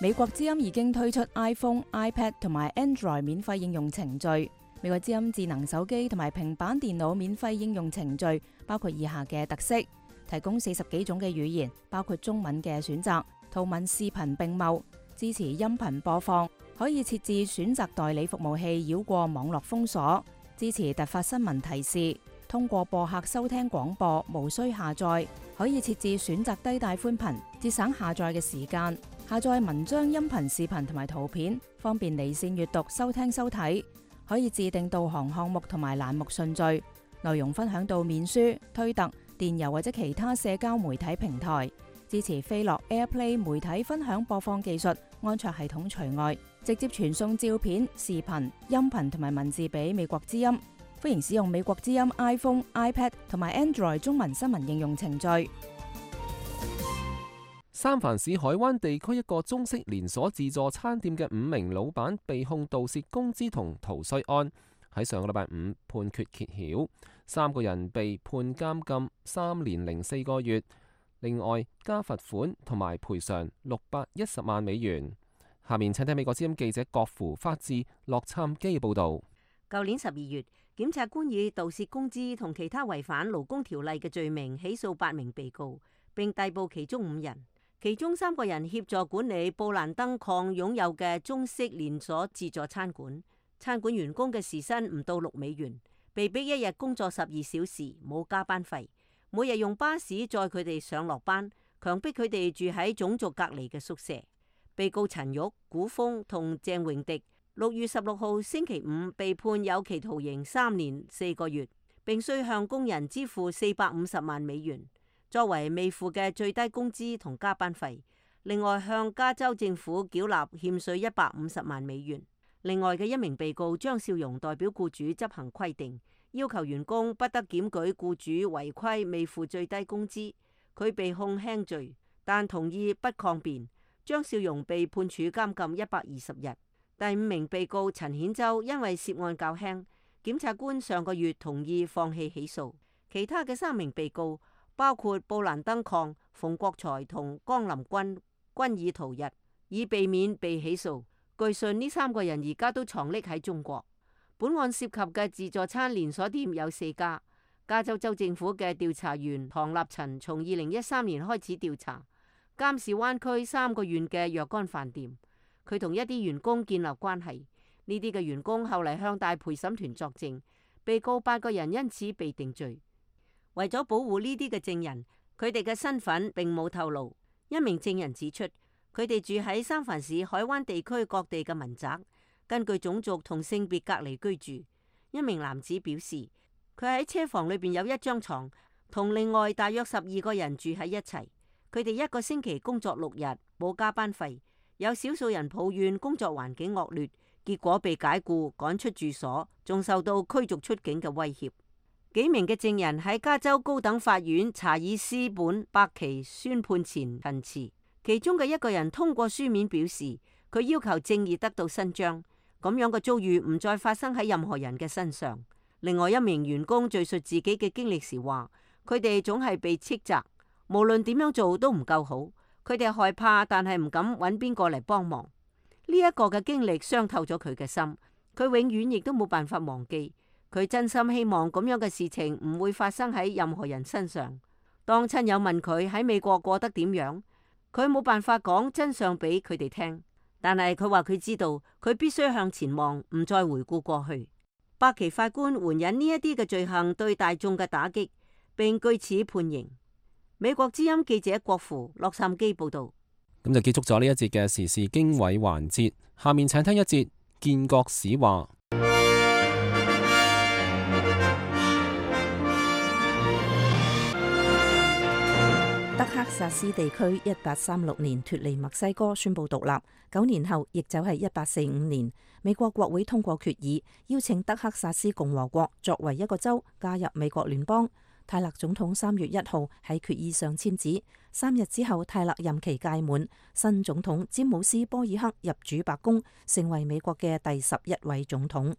美國之音已經推出 iPhone、iPad 同埋 Android 免費應用程序。美國之音智能手機同埋平板電腦免費應用程序包括以下嘅特色：提供四十幾種嘅語言，包括中文嘅選擇，圖文視頻並茂，支持音頻播放，可以設置選擇代理服務器繞過網絡封鎖，支持突發新聞提示，通過播客收聽廣播，無需下載，可以設置選擇低帶寬頻，節省下載嘅時間，下載文章、音頻、視頻同埋圖片，方便離線閱讀、收聽收睇，可以自定導航項目同埋欄目順序，內容分享到面書、推特、電郵或者其他社交媒體平台。支持飛樂 AirPlay 媒體分享播放技術，安卓系統除外，直接傳送照片、視頻、音頻同埋文字俾美國之音。歡迎使用美國之音 iPhone、iPad 同埋 Android 中文新聞應用程序。三藩市海灣地區一個中式連鎖自助餐店嘅五名老闆被控盜竊工資同逃稅案，喺上個禮拜五判決揭曉，三個人被判監禁三年零四個月。另外加罰款同埋賠償六百一十萬美元。下面請聽美國之音記者郭芙發自洛杉磯報道。舊年十二月，檢察官以盜竊工資同其他違反勞工條例嘅罪名起訴八名被告，並逮捕其中五人。其中三個人協助管理布蘭登礦擁有嘅中式連鎖自助餐館，餐館員工嘅時薪唔到六美元，被逼一日工作十二小時，冇加班費。每日用巴士載佢哋上落班，強迫佢哋住喺種族隔離嘅宿舍。被告陳玉、古峰同鄭榮迪六月十六號星期五被判有期徒刑三年四個月，並需向工人支付四百五十萬美元，作為未付嘅最低工資同加班費。另外向加州政府繳納欠稅一百五十萬美元。另外嘅一名被告張少榮代表僱主執行規定，要求員工不得檢舉僱主違規未付最低工資。佢被控輕罪，但同意不抗辯。張少榮被判處監禁一百二十日。第五名被告陳顯洲因為涉案較輕，檢察官上個月同意放棄起訴。其他嘅三名被告包括布蘭登礦、馮國才同江林君，均已逃逸，以避免被起訴。據信呢三個人而家都藏匿喺中國。本案涉及嘅自助餐連鎖店有四家。加州州政府嘅調查員唐立陳從二零一三年開始調查監視灣區三個縣嘅若干飯店，佢同一啲員工建立關係。呢啲嘅員工後嚟向大陪審團作證，被告八個人因此被定罪。為咗保護呢啲嘅證人，佢哋嘅身份並冇透露。一名證人指出，佢哋住喺三藩市海灣地區各地嘅民宅，根據種族同性別隔離居住。一名男子表示，佢喺車房裏邊有一張床，同另外大約十二個人住喺一齊。佢哋一個星期工作六日，冇加班費。有少數人抱怨工作環境惡劣，結果被解僱、趕出住所，仲受到驅逐出境嘅威脅。幾名嘅證人喺加州高等法院查爾斯本伯奇宣判前陳詞，其中嘅一個人通過書面表示，佢要求正義得到伸張，咁樣嘅遭遇唔再發生喺任何人嘅身上。另外一名員工敘述自己嘅經歷時話，佢哋總係被斥責，無論點樣做都唔夠好，佢哋害怕，但係唔敢揾邊個嚟幫忙。呢一個嘅經歷傷透咗佢嘅心，佢永遠亦都冇辦法忘記。佢真心希望咁樣嘅事情唔會發生喺任何人身上。當親友問佢喺美國過得點樣，佢冇辦法講真相俾佢哋聽，但係佢話佢知道，佢必須向前望，唔再回顧過去。伯奇法官援引呢一啲嘅罪行對大眾嘅打擊，並據此判刑。美國之音記者郭芙洛杉磯報道。咁就結束咗呢一節嘅時事經緯環節，下面請聽一節建國史話。德克薩斯地區一八三六年脫離墨西哥，宣布獨立。九年後，亦就係一八四五年，美國國會通過決議，邀請德克薩斯共和國作為一個州加入美國聯邦。泰勒總統三月一號喺決議上簽字，三日之後泰勒任期屆滿，新總統詹姆斯波爾克入主白宮，成為美國嘅第十一位總統。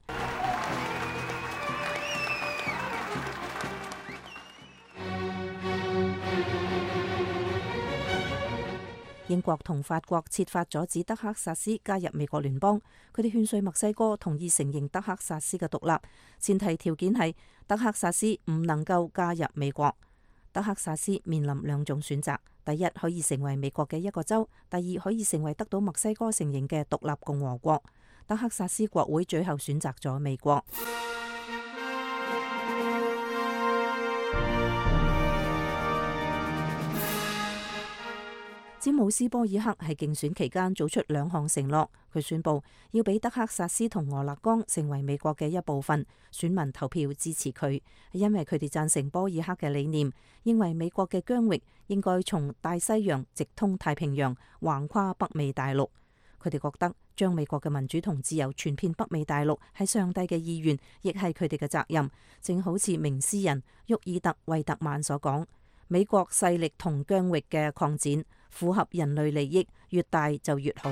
英國同法國設法阻止德克薩斯加入美國聯邦，佢哋勸說墨西哥同意承認德克薩斯嘅獨立，前提條件係德克薩斯唔能夠加入美國。德克薩斯面臨兩種選擇：第一，可以成為美國嘅一個州；第二，可以成為得到墨西哥承認嘅獨立共和國。德克薩斯國會最後選擇咗美國。詹姆斯·波爾克喺競選期間做出兩項承諾，佢宣布要俾德克薩斯同俄勒岡成為美國嘅一部分，選民投票支持佢，因為佢哋贊成波爾克嘅理念，認為美國嘅疆域應該從大西洋直通太平洋，橫跨北美大陸。佢哋覺得將美國嘅民主同自由傳遍北美大陸係上帝嘅意願，亦係佢哋嘅責任。正好似名詩人沃爾特·惠特曼所講，美國勢力同疆域嘅擴展符合人類利益，越大就越好。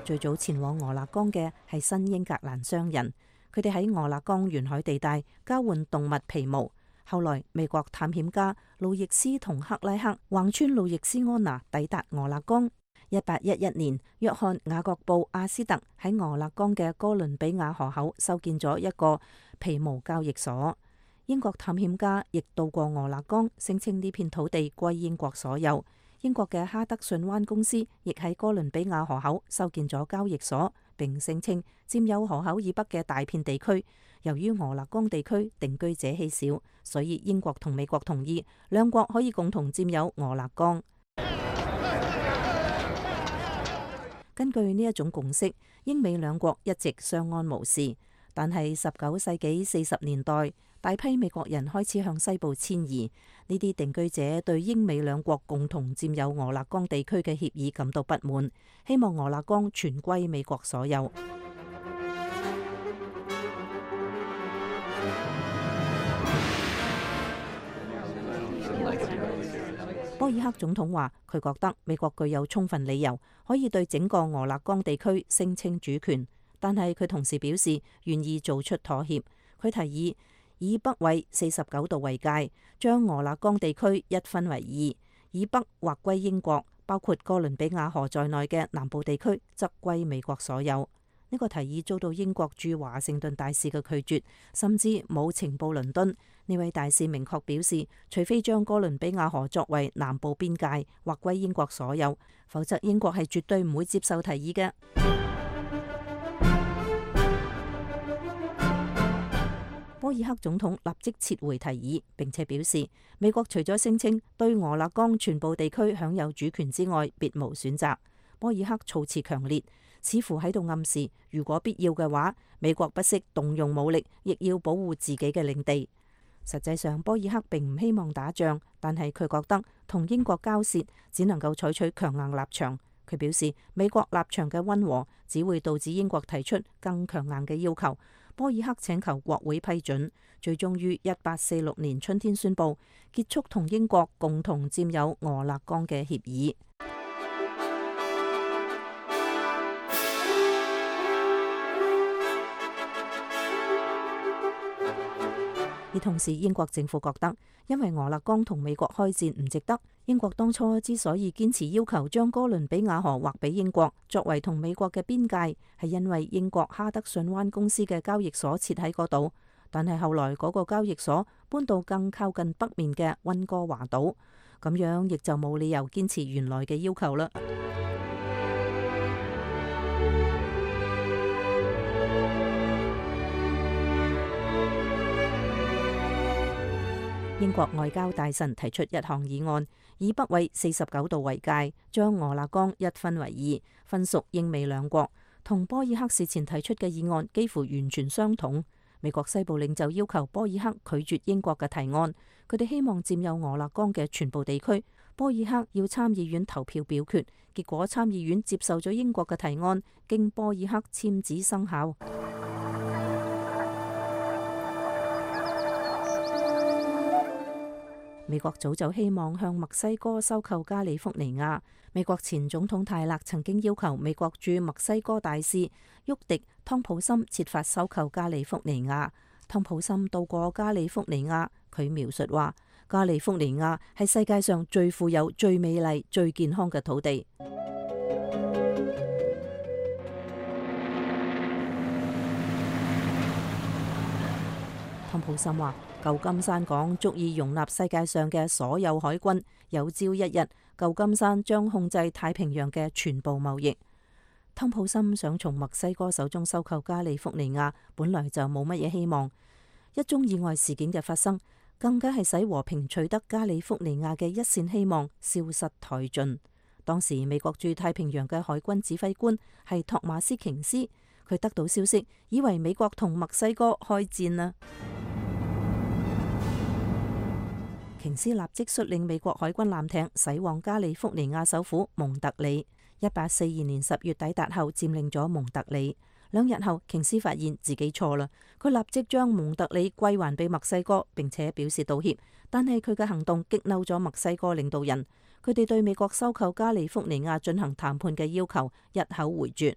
最早前往俄勒岡嘅係新英格蘭商人，佢哋喺俄勒岡沿海地帶交換動物皮毛。後來美國探險家路易斯同克拉克橫穿路易斯安那抵達俄勒岡。一八一一年，約翰雅各布阿斯特喺俄勒岡嘅哥倫比亞河口修建咗一個皮毛交易所。英國探險家亦到過俄勒岡，聲稱呢片土地歸英國所有。英國嘅哈德遜灣公司亦喺哥倫比亞河口修建咗交易所，並聲稱佔有河口以北嘅大片地區。由於俄勒岡地區定居者稀少，所以英國同美國同意兩國可以共同佔有俄勒岡。根據呢一種共識，英美兩國一直相安無事。但係十九世紀四十年代，大批美國人開始向西部遷移。呢啲定居者對英美兩國共同佔有俄勒岡地區嘅協議感到不滿，希望俄勒岡全歸美國所有。波爾克總統話，佢覺得美國具有充分理由可以對整個俄勒岡地區聲稱主權。但係佢同時表示願意做出妥協。佢提議以北緯四十九度為界，將俄勒岡地區一分為二，以北劃歸英國，包括哥倫比亞河在內嘅南部地區則歸美國所有。呢、這個提議遭到英國駐華盛頓大使嘅拒絕，甚至冇情報倫敦。呢位大使明確表示，除非將哥倫比亞河作為南部邊界劃歸英國所有，否則英國係絕對唔會接受提議嘅。波爾克總統立即撤回提議，並且表示美國除咗聲稱對俄勒岡全部地區享有主權之外，別無選擇。波爾克措辭強烈，似乎喺度暗示，如果必要嘅話，美國不惜動用武力，亦要保護自己嘅領地。實際上，波爾克並唔希望打仗，但係佢覺得同英國交涉只能夠採取強硬立場。佢表示，美國立場嘅溫和只會導致英國提出更強硬嘅要求。波爾克請求國會批准，最終於一八四六年春天宣布結束同英國共同佔有俄勒岡嘅協議。而同時，英國政府覺得，因為俄勒岡同美國開戰唔值得。英國當初之所以堅持要求將哥倫比亞河劃俾英國，作為同美國嘅邊界，係因為英國哈德遜灣公司嘅交易所設喺嗰度。但係後來嗰個交易所搬到更靠近北面嘅溫哥華島，咁樣亦就冇理由堅持原來嘅要求啦。英國外交大臣提出一項議案，以北緯四十九度為界，將俄勒岡一分為二，分屬英美兩國。同波爾克事前提出嘅議案幾乎完全相同。美國西部領袖要求波爾克拒絕英國嘅提案，佢哋希望佔有俄勒岡嘅全部地區。波爾克要參議院投票表決，結果參議院接受咗英國嘅提案，經波爾克簽字生效。美國早就希望向墨西哥收購加利福尼亞。美國前總統泰勒曾經要求美國駐墨西哥大使沃迪湯普森設法收購加利福尼亞。湯普森到過加利福尼亞，佢描述話：加利福尼亞係世界上最富有、最美麗、最健康嘅土地。湯普森話：舊金山港足以容納世界上嘅所有海軍，有朝一日舊金山將控制太平洋嘅全部貿易。湯普森想從墨西哥手中收購加利福尼亞，本來就冇乜嘢希望。一宗意外事件嘅發生，更加係使和平取得加利福尼亞嘅一線希望消失殆盡。當時美國駐太平洋嘅海軍指揮官係托馬斯瓊斯，佢得到消息，以為美國同墨西哥開戰啦。瓊斯立即率領美國海軍艦艇駛往加利福尼亞首府蒙特利。一八四二年十月抵達後，佔領咗蒙特利。兩日後，瓊斯發現自己錯啦，佢立即將蒙特利歸還俾墨西哥，並且表示道歉。但係佢嘅行動激嬲咗墨西哥領導人，佢哋對美國收購加利福尼亞進行談判嘅要求一口回絕。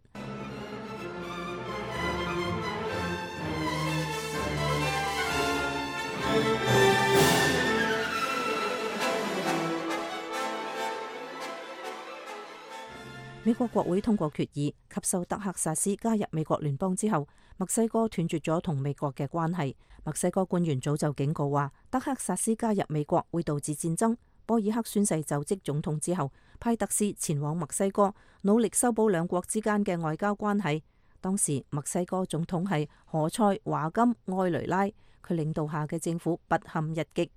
美國國會通過決議，吸收德克薩斯加入美國聯邦之後，墨西哥斷絕咗同美國嘅關係。墨西哥官員早就警告話，德克薩斯加入美國會導致戰爭。波爾克宣誓就職總統之後，派特使前往墨西哥，努力修補兩國之間嘅外交關係。當時墨西哥總統係何塞華金埃雷拉，佢領導下嘅政府不堪一擊。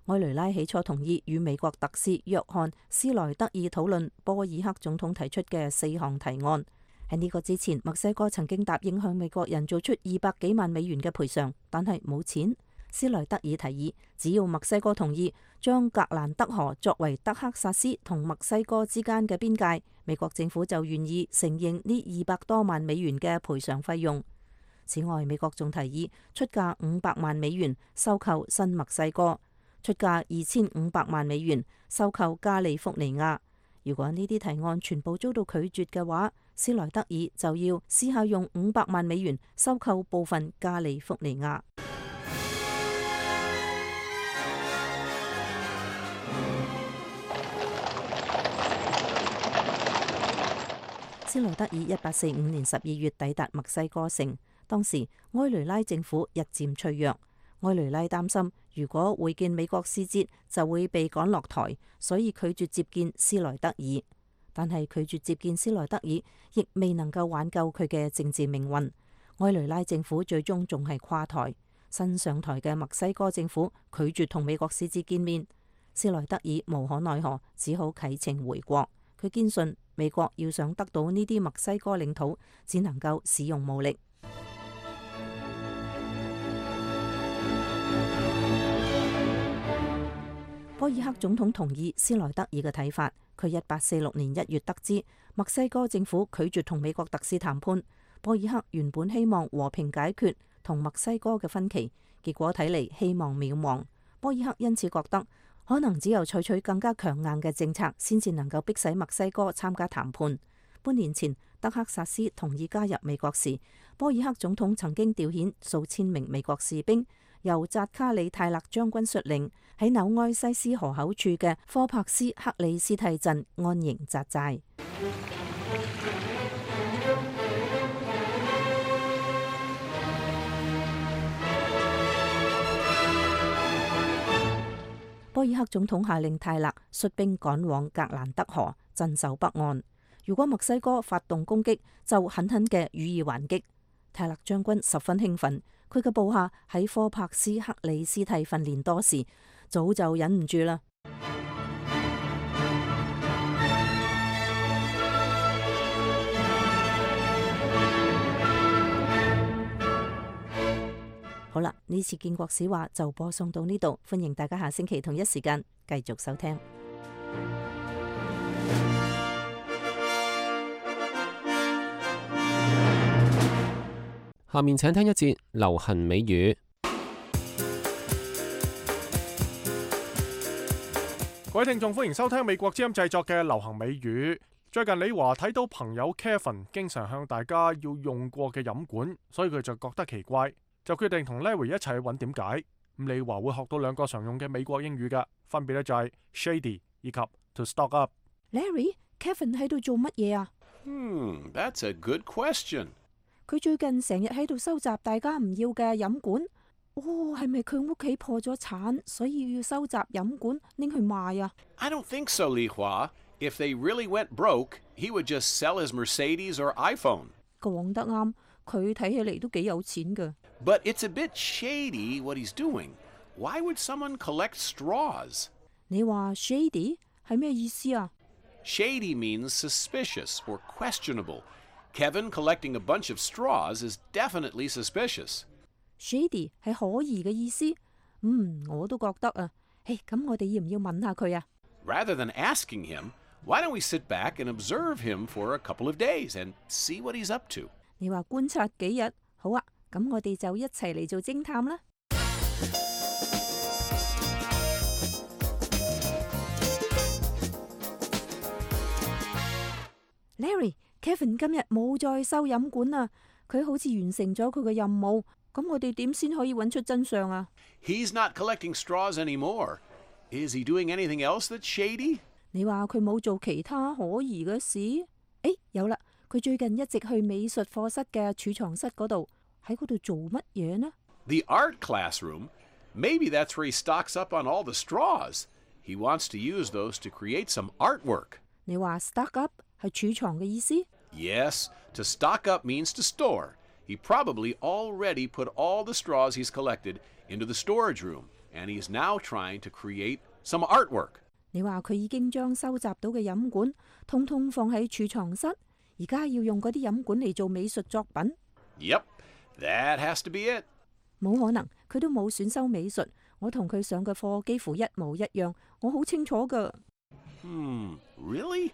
埃雷拉起初同意與美國特使約翰斯萊德爾討論波爾克總統提出嘅四項提案。喺呢個之前，墨西哥曾經答應向美國人做出二百幾萬美元嘅賠償，但係冇錢。斯萊德爾提議，只要墨西哥同意將格蘭德河作為德克薩斯同墨西哥之間嘅邊界，美國政府就願意承認呢二百多萬美元嘅賠償費用。此外，美國仲提議出價五百萬美元收購新墨西哥，出價二千五百萬美元收購加利福尼亞。如果呢啲提案全部遭到拒絕嘅話，斯萊德爾就要試下用五百萬美元收購部分加利福尼亞。斯萊德爾一八四五年十二月抵達墨西哥城，當時埃雷拉政府日漸脆弱。埃雷拉擔心，如果會見美國使節就會被趕落台，所以拒絕接見斯萊德爾。但係拒絕接見斯萊德爾，亦未能夠挽救佢嘅政治命運。埃雷拉政府最終仲係垮台。新上台嘅墨西哥政府拒絕同美國使節見面，斯萊德爾無可奈何，只好啟程回國。佢堅信美國要想得到呢啲墨西哥領土，只能夠使用武力。波爾克總統同意斯萊德爾嘅睇法。佢一八四六年一月得知墨西哥政府拒絕同美國特使談判，波爾克原本希望和平解決同墨西哥嘅分歧，結果睇嚟希望渺茫。波爾克因此覺得可能只有採取更加強硬嘅政策，先至能夠迫使墨西哥參加談判。半年前，德克薩斯同意加入美國時，波爾克總統曾經調遣數千名美國士兵，由扎卡里泰勒將軍率領，喺紐埃西斯河口處嘅科帕斯克里斯蒂鎮安營紮寨。波爾克總統下令泰勒率兵趕往格蘭德河，鎮守北岸。如果墨西哥發動攻擊，就狠狠嘅予以還擊。泰勒將軍十分興奮，佢嘅部下喺科帕斯克里斯蒂訓練多時，早就忍唔住啦。好啦，呢次建國史話就播送到呢度，歡迎大家下星期同一時間繼續收聽。下面請聽一節流行美語。各位聽眾，歡迎收聽美國之音製作嘅流行美語。最近李華睇到朋友 Kevin 經常向大家要用過嘅飲管，所以佢就覺得奇怪，就決定同 Larry 一齊去揾點解。咁李華會學到兩個常用嘅美國英語㗎，分別咧就係 shady 以及 to stock up。Larry，Kevin 喺度做乜嘢啊？Hmm, that's a good question. 佢最近成日喺度收集大家唔要嘅飲管。哦，係咪佢屋企破咗產，所以要收集飲管拎去賣啊？ I don't think so, Li Hua. If they really went broke, he would just sell his Mercedes or iPhone. 講得啱，佢睇起嚟都幾有錢㗎。But it's a bit shady what he's doing. Why would someone collect straws? 你話 shady 係咩意思啊？ Shady means suspicious or questionable. Kevin collecting a bunch of straws is definitely suspicious. Shady 係可疑嘅意思。嗯，我都覺得啊。誒，咁我哋要唔要問下佢啊？ Rather than asking him, why don't we sit back and observe him for a couple of days and see what he's up to? 你話觀察幾日？好啊，咁我哋就一齊嚟做偵探啦。Larry，Kevin 今日冇再收飲管啦，佢好似完成咗佢嘅任務。咁我哋點先可以揾出真相啊？ He's not collecting straws anymore. Is he doing anything else that's shady? 你話佢冇做其他可疑嘅事？誒，有啦，佢最近一直去美術課室嘅儲藏室嗰度，喺嗰度做乜嘢呢？ The art classroom? Maybe that's where he stocks up on all the straws. He wants to use those to create some artwork. 你話 stock up 係儲藏嘅意思？ Yes, to stock up means to store. He probably already put all the straws he's collected into the storage room, and he's now trying to create some artwork. 你話佢已經將收集到嘅飲管通通放喺儲藏室，而家要用嗰啲飲管嚟做美術作品。 Yep, that has to be it. 冇可能，佢都冇選修美術。我同佢上嘅課幾乎一模一樣，我好清楚㗎。Hmm, really?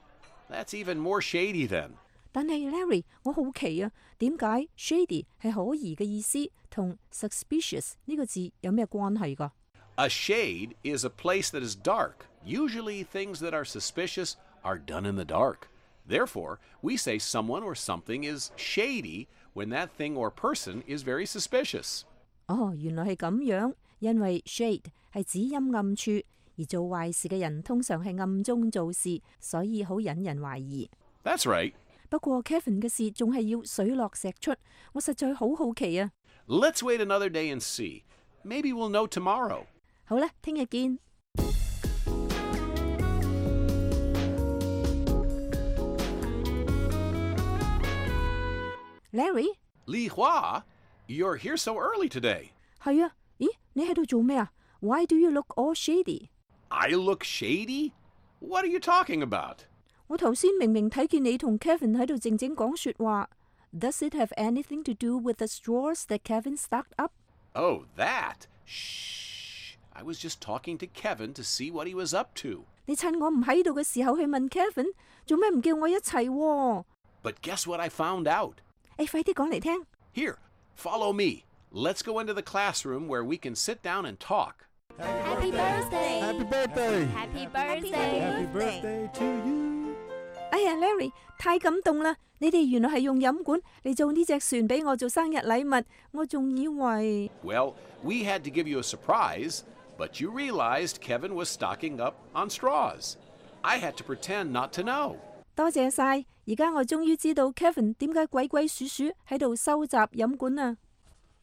That's even more shady then. 但係 Larry， 我好奇啊，點解 shady 係可疑嘅意思，同 suspicious 呢個字有咩關係㗎？ A shade is a place that is dark. Usually things that are suspicious are done in the dark. Therefore, we say someone or something is shady when that thing or person is very suspicious. 哦，原來係咁樣，因為 shade 係指陰暗處，而做壞事嘅人通常係暗中做事，所以好引人懷疑。 That's right. 不過 Kevin 嘅事仲係要水落石出，我實在好好奇啊！ Let's wait another day and see. Maybe we'll know tomorrow. 好啦，聽日見。Larry， Li Hua, you're here so early today. 係啊，咦，你喺度做咩啊 ？Why do you look all shady? I look shady? What are you talking about? 我頭先明明睇見你同 Kevin 喺度靜靜講說話。Does it have anything to do with the straws that Kevin stocked up? Oh, that? Shh. I was just talking to Kevin to see what he was up to. 你趁我唔喺度嘅時候去問 Kevin， 做咩唔叫我一齊喎？ But guess what I found out? 誒，快啲講嚟聽。 Here, follow me. Let's go into the classroom where we can sit down and talk. Happy birthday! Happy birthday! Happy birthday! Happy birthday to you! 哎呀 ，Larry， 太感動啦！你哋原來係用飲管嚟做呢隻船俾我做生日禮物，我仲以為 Well, we had to give you a surprise, but you realized Kevin was stocking up on straws. I had to pretend not to know. 多謝晒，而家我終於知道 Kevin 點解鬼鬼祟祟喺度收集飲管啊！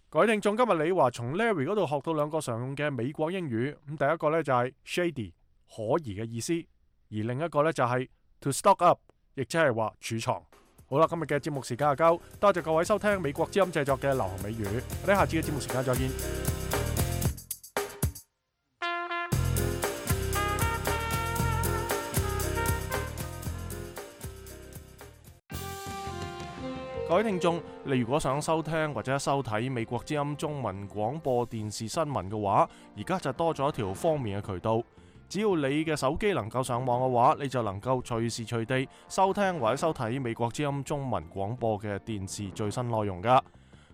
各位聽眾，今日李華從 Larry 嗰度學到兩個常用嘅美國英語。咁第一個呢就係 shady 可疑嘅意思，而另一個呢就係 to stock up， 亦即係話儲藏。好啦，今日嘅節目時間就夠，多謝各位收聽美國之音製作嘅流行美語。我哋下次嘅節目時間再見。各位聽眾，你如果想收聽或者收睇美國之音中文廣播電視新聞嘅話，而家就多咗一條方便嘅渠道。只要你嘅手機能夠上網嘅話，你就能夠隨時隨地收聽或者收睇美國之音中文廣播嘅電視最新內容噶。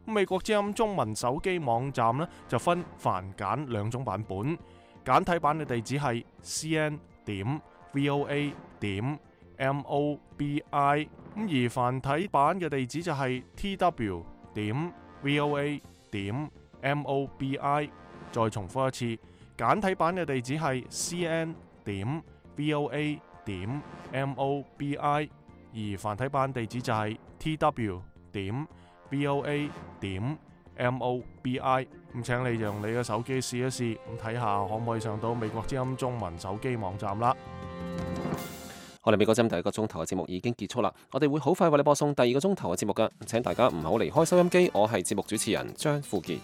美國之音中文手機網站呢，就分繁簡兩種版本，簡體版嘅地址係 c n 點 v o a 點 m o b i， 咁而繁體版嘅地址就係 t w 點 v o a 點 m o b i。再重複一次。簡體版嘅地址係 c n 點 v o a 點 m o b i， 而繁體版地址就係 t w 點 v o a 點 M O B I。咁請你用你嘅手機試一試，咁睇下可唔可以上到美國之音中文手機網站啦。我哋美國之音第一個鐘頭嘅節目已經結束啦，我哋會好快為你播送第二個鐘頭嘅節目㗎，請大家唔好離開收音機。我係節目主持人張富傑。